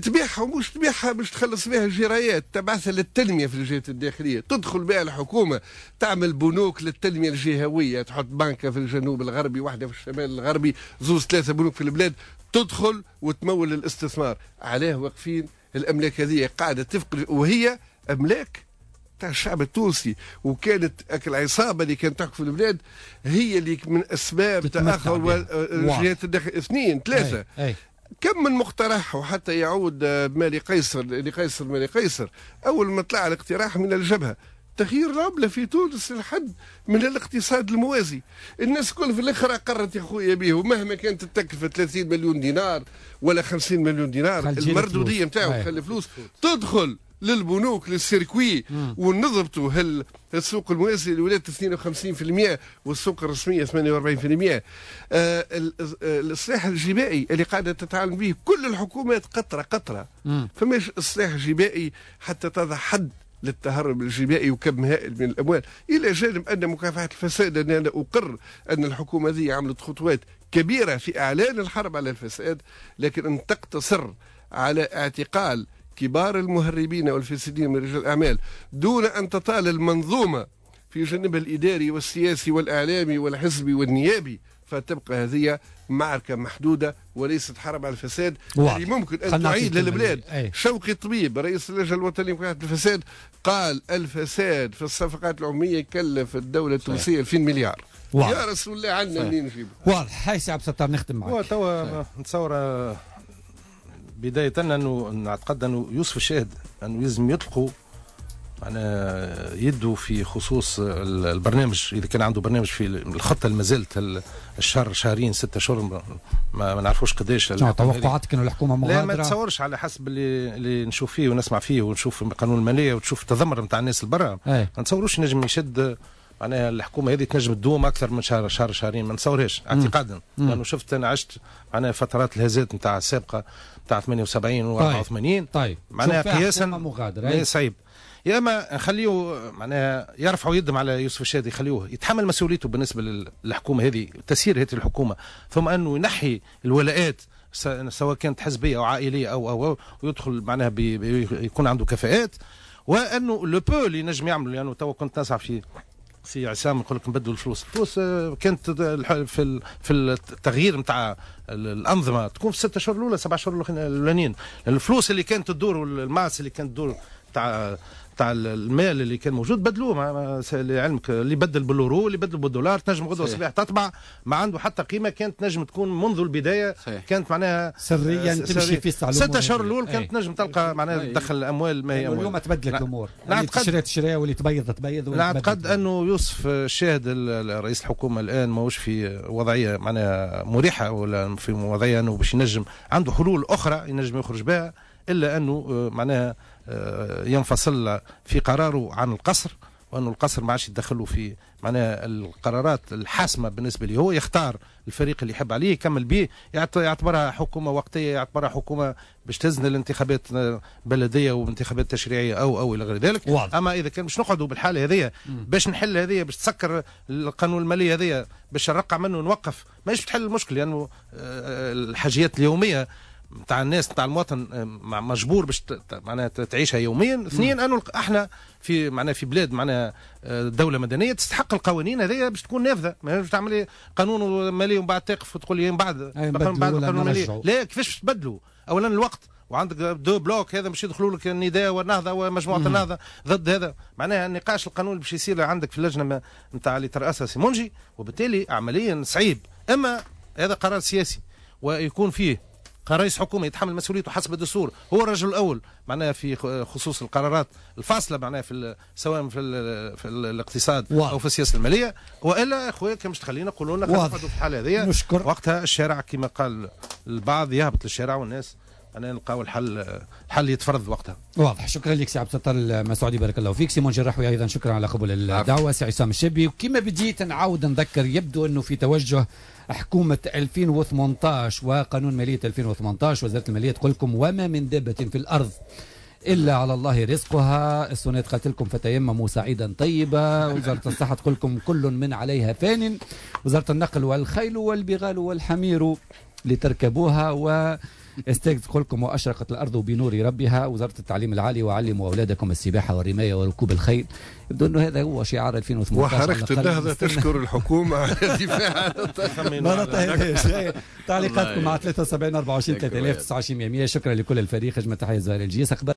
تبيعها ومش تبيعها باش تخلص بها الجرايات، تبعثها للتنمية في الجهات الداخلية، تدخل بها الحكومة تعمل بنوك للتنمية الجهوية، تحط بنكه في الجنوب الغربي، واحدة في الشمال الغربي، زوز ثلاثة بنوك في البلاد، تدخل وتمول الاستثمار. علاه واقفين الاملاك هذه قاعدة تفقد، وهي املاك تاع الشعب التونسي، وكانت العصابة اللي كانت تحكم في البلاد هي اللي من اسباب تاخر الجهات الداخلية. اثنين ثلاثة، أي. أي. كم من مقترح، وحتى يعود مالي قيصر لقيصر مالي قيصر، اول ما طلع الاقتراح من الجبهة تغيير العملة في تونس للحد من الاقتصاد الموازي، الناس كل في الاخر اقرت يا خويا به، ومهما كانت التكلفة ثلاثين مليون دينار ولا خمسين مليون دينار، المردوديه نتاعو خلي فلوس تدخل للبنوك لل circuit، ونضبطوا هل السوق الموازي اللي ولات اثنين وخمسين بالمئة والسوق الرسمية ثمانية وأربعين بالمئة. آه الاصلاح الجبائي اللي قاعدة تتعامل به كل الحكومات قطرة قطرة، فماش اصلاح جبائي حتى تضع حد للتهرب الجبائي وكم هائل من الاموال، الى جانب ان مكافحة الفساد، أن انا اقر ان الحكومة ذي عملت خطوات كبيرة في اعلان الحرب على الفساد، لكن ان تقتصر على اعتقال كبار المهربين والفاسدين من رجال الأعمال دون أن تطال المنظومة في جانبها الإداري والسياسي والإعلامي والحزبي والنيابي، فتبقى هذه معركة محدودة وليست حرب على الفساد اللي ممكن أن تعيد للبلاد. أي. شوقي طبيب رئيس اللجنة الوطنية لمكافحة الفساد قال الفساد في الصفقات العمومية كلف الدولة التونسية ألفين مليار. واضح. يا رسول الله عندنا منين نجيبه. واضح. هاي سي عبد الستار نختم معك. توا نتصور بداية أنه نعتقد أنه يوسف الشاهد أنه لازم يطلقوا معناها يده في خصوص البرنامج، إذا كان عنده برنامج في الخطة اللي ما زالت الشهر شهرين ستة شهور ما, ما نعرفوش قداش. توقعاتك أنه الحكومة مغادرة؟ لا ما تصورش، على حسب اللي, اللي نشوف فيه ونسمع فيه ونشوف قانون المالية وتشوف التذمر نتاع الناس البرا، ما نتصوروش نجم يشد معناها الحكومة هذه تنجم تدوم اكثر من شهر شهر شهرين، ما نتصورهاش اعتقادا، لانه شفت انا عشت معناها فترات الهزات نتاع السابقة نتاع ثمانية وسبعين و أربعة وثمانين. طيب. معناها قياسا صعيب. يا اما نخليه معناها يرفعوا يدهم على يوسف الشاهد، يخليوه يتحمل مسؤوليته بالنسبة للحكومة هذه، تسيير هذه الحكومة، ثم انه ينحي الولاءات سواء كانت حزبية او عائلية او او, أو ويدخل معناها بي يكون عنده كفاءات، وانه le peu اللي نجم يعمل، لانه توا كنت نسعى في سي عصام نقول لك نبدلوا الفلوس، الفلوس كانت في في التغيير نتاع الانظمة تكون في الست اشهر الاولى سبع شهور الاولانيين، الفلوس اللي كانت تدور وال masse اللي كانت تدور تاع تاع المال اللي كان موجود بدلوه، لعلمك اللي بدل باليورو اللي بدل بالدولار، تنجم غدوه الصباح تطبع ما عنده حتى قيمة، كانت تنجم تكون منذ البداية. صحيح. كانت معناها سريا تمشي في السعر ست اشهر الاول كانت تنجم تلقى معناها تدخل الاموال ما هي اموال. اليوم تبدلت الامور، اللي تشري تشري واللي تبيض تبيض. نعتقد انه يوسف الشاهد رئيس الحكومة الان ماهوش في وضعية معناها مريحه ولا في وضعية انه باش ينجم عنده حلول اخرى ينجم يخرج بها، الا انه معناها ينفصل في قراره عن القصر، وأنه القصر ما عادش يتدخلوا في معناها القرارات الحاسمة بالنسبة لي، هو يختار الفريق اللي يحب عليه يكمل به، يعتبرها حكومة وقتية، يعتبرها حكومة باش تزن الانتخابات بلديه وانتخابات تشريعية او او الى غير ذلك. واضح. اما اذا كان باش نقعدوا بالحالة هذيا باش نحل هذيا باش تسكر القانون المالي هذيا باش نرقع منه ونوقف، ماهيش تحل المشكل، لانه الحاجيات اليومية نتاع الناس نتاع المواطن مجبور باش معناها تعيشها يوميا. اثنين انه احنا في معناها في بلاد معناها دولة مدنية تستحق القوانين هذيا باش تكون نافذة، ما باش تعمل قانون مالي ومن بعد تقف وتقول لي من بعد بعد القانون المالي، لا كيفاش باش تبدلوا؟ اولا الوقت، وعندك deux blocs هذا باش يدخلوا لك النداء والنهضه ومجموعة مم. النهضة ضد هذا، معناها النقاش القانوني باش يصير عندك في اللجنة نتاع اللي ترأسها سيمونجي، وبالتالي عمليا صعيب. اما هذا قرار سياسي ويكون فيه رئيس حكومة يتحمل مسؤوليته حسب الدستور، هو الرجل الاول معناها في خصوص القرارات الفاصلة معناها في سواء في, في الاقتصاد واضح. او في السياسة المالية. والا اخويا كان مش تخلينا قولوا لنا نقعدوا في الحالة هذه وقتها الشارع كما قال البعض يهبط للشارع والناس انا نلقاو الحل، الحل يتفرض وقتها. واضح. شكرا لك سي عبد الستار المسعودي، بارك الله فيك. سي منجي الرحوي ايضا شكرا على قبول الدعوة. سي عصام الشابي، وكما بديت نعاود نذكر، يبدو انه في توجه حكومة ألفين وثمانطاش وقانون ماليه ألفين وثمانطاش وزارة المالية تقول لكم وما من دابة في الارض الا على الله رزقها. السنة قالت لكم فتيمموا صعيدا طيبا. وزارة الصحة تقول لكم كل من عليها فان. وزارة النقل والخيل والبغال والحمير لتركبوها. و استيك تقول لكم واشرقت الارض بنور ربها. وزارة التعليم العالي وعلموا اولادكم السباحة والرمايه وركوب الخيل. يبدو انه هذا هو شعار ألفين وثمانطاش. وحركه النهضة تشكر الحكومة على الدفاع. ما نطيناش. تعليقاتكم مع ثلاثة وسبعين أربعة وعشرين ثلاثة آلاف وتسعة وعشرين مية. شكرا لكل الفريق. اجمل تحية زهير الجيس.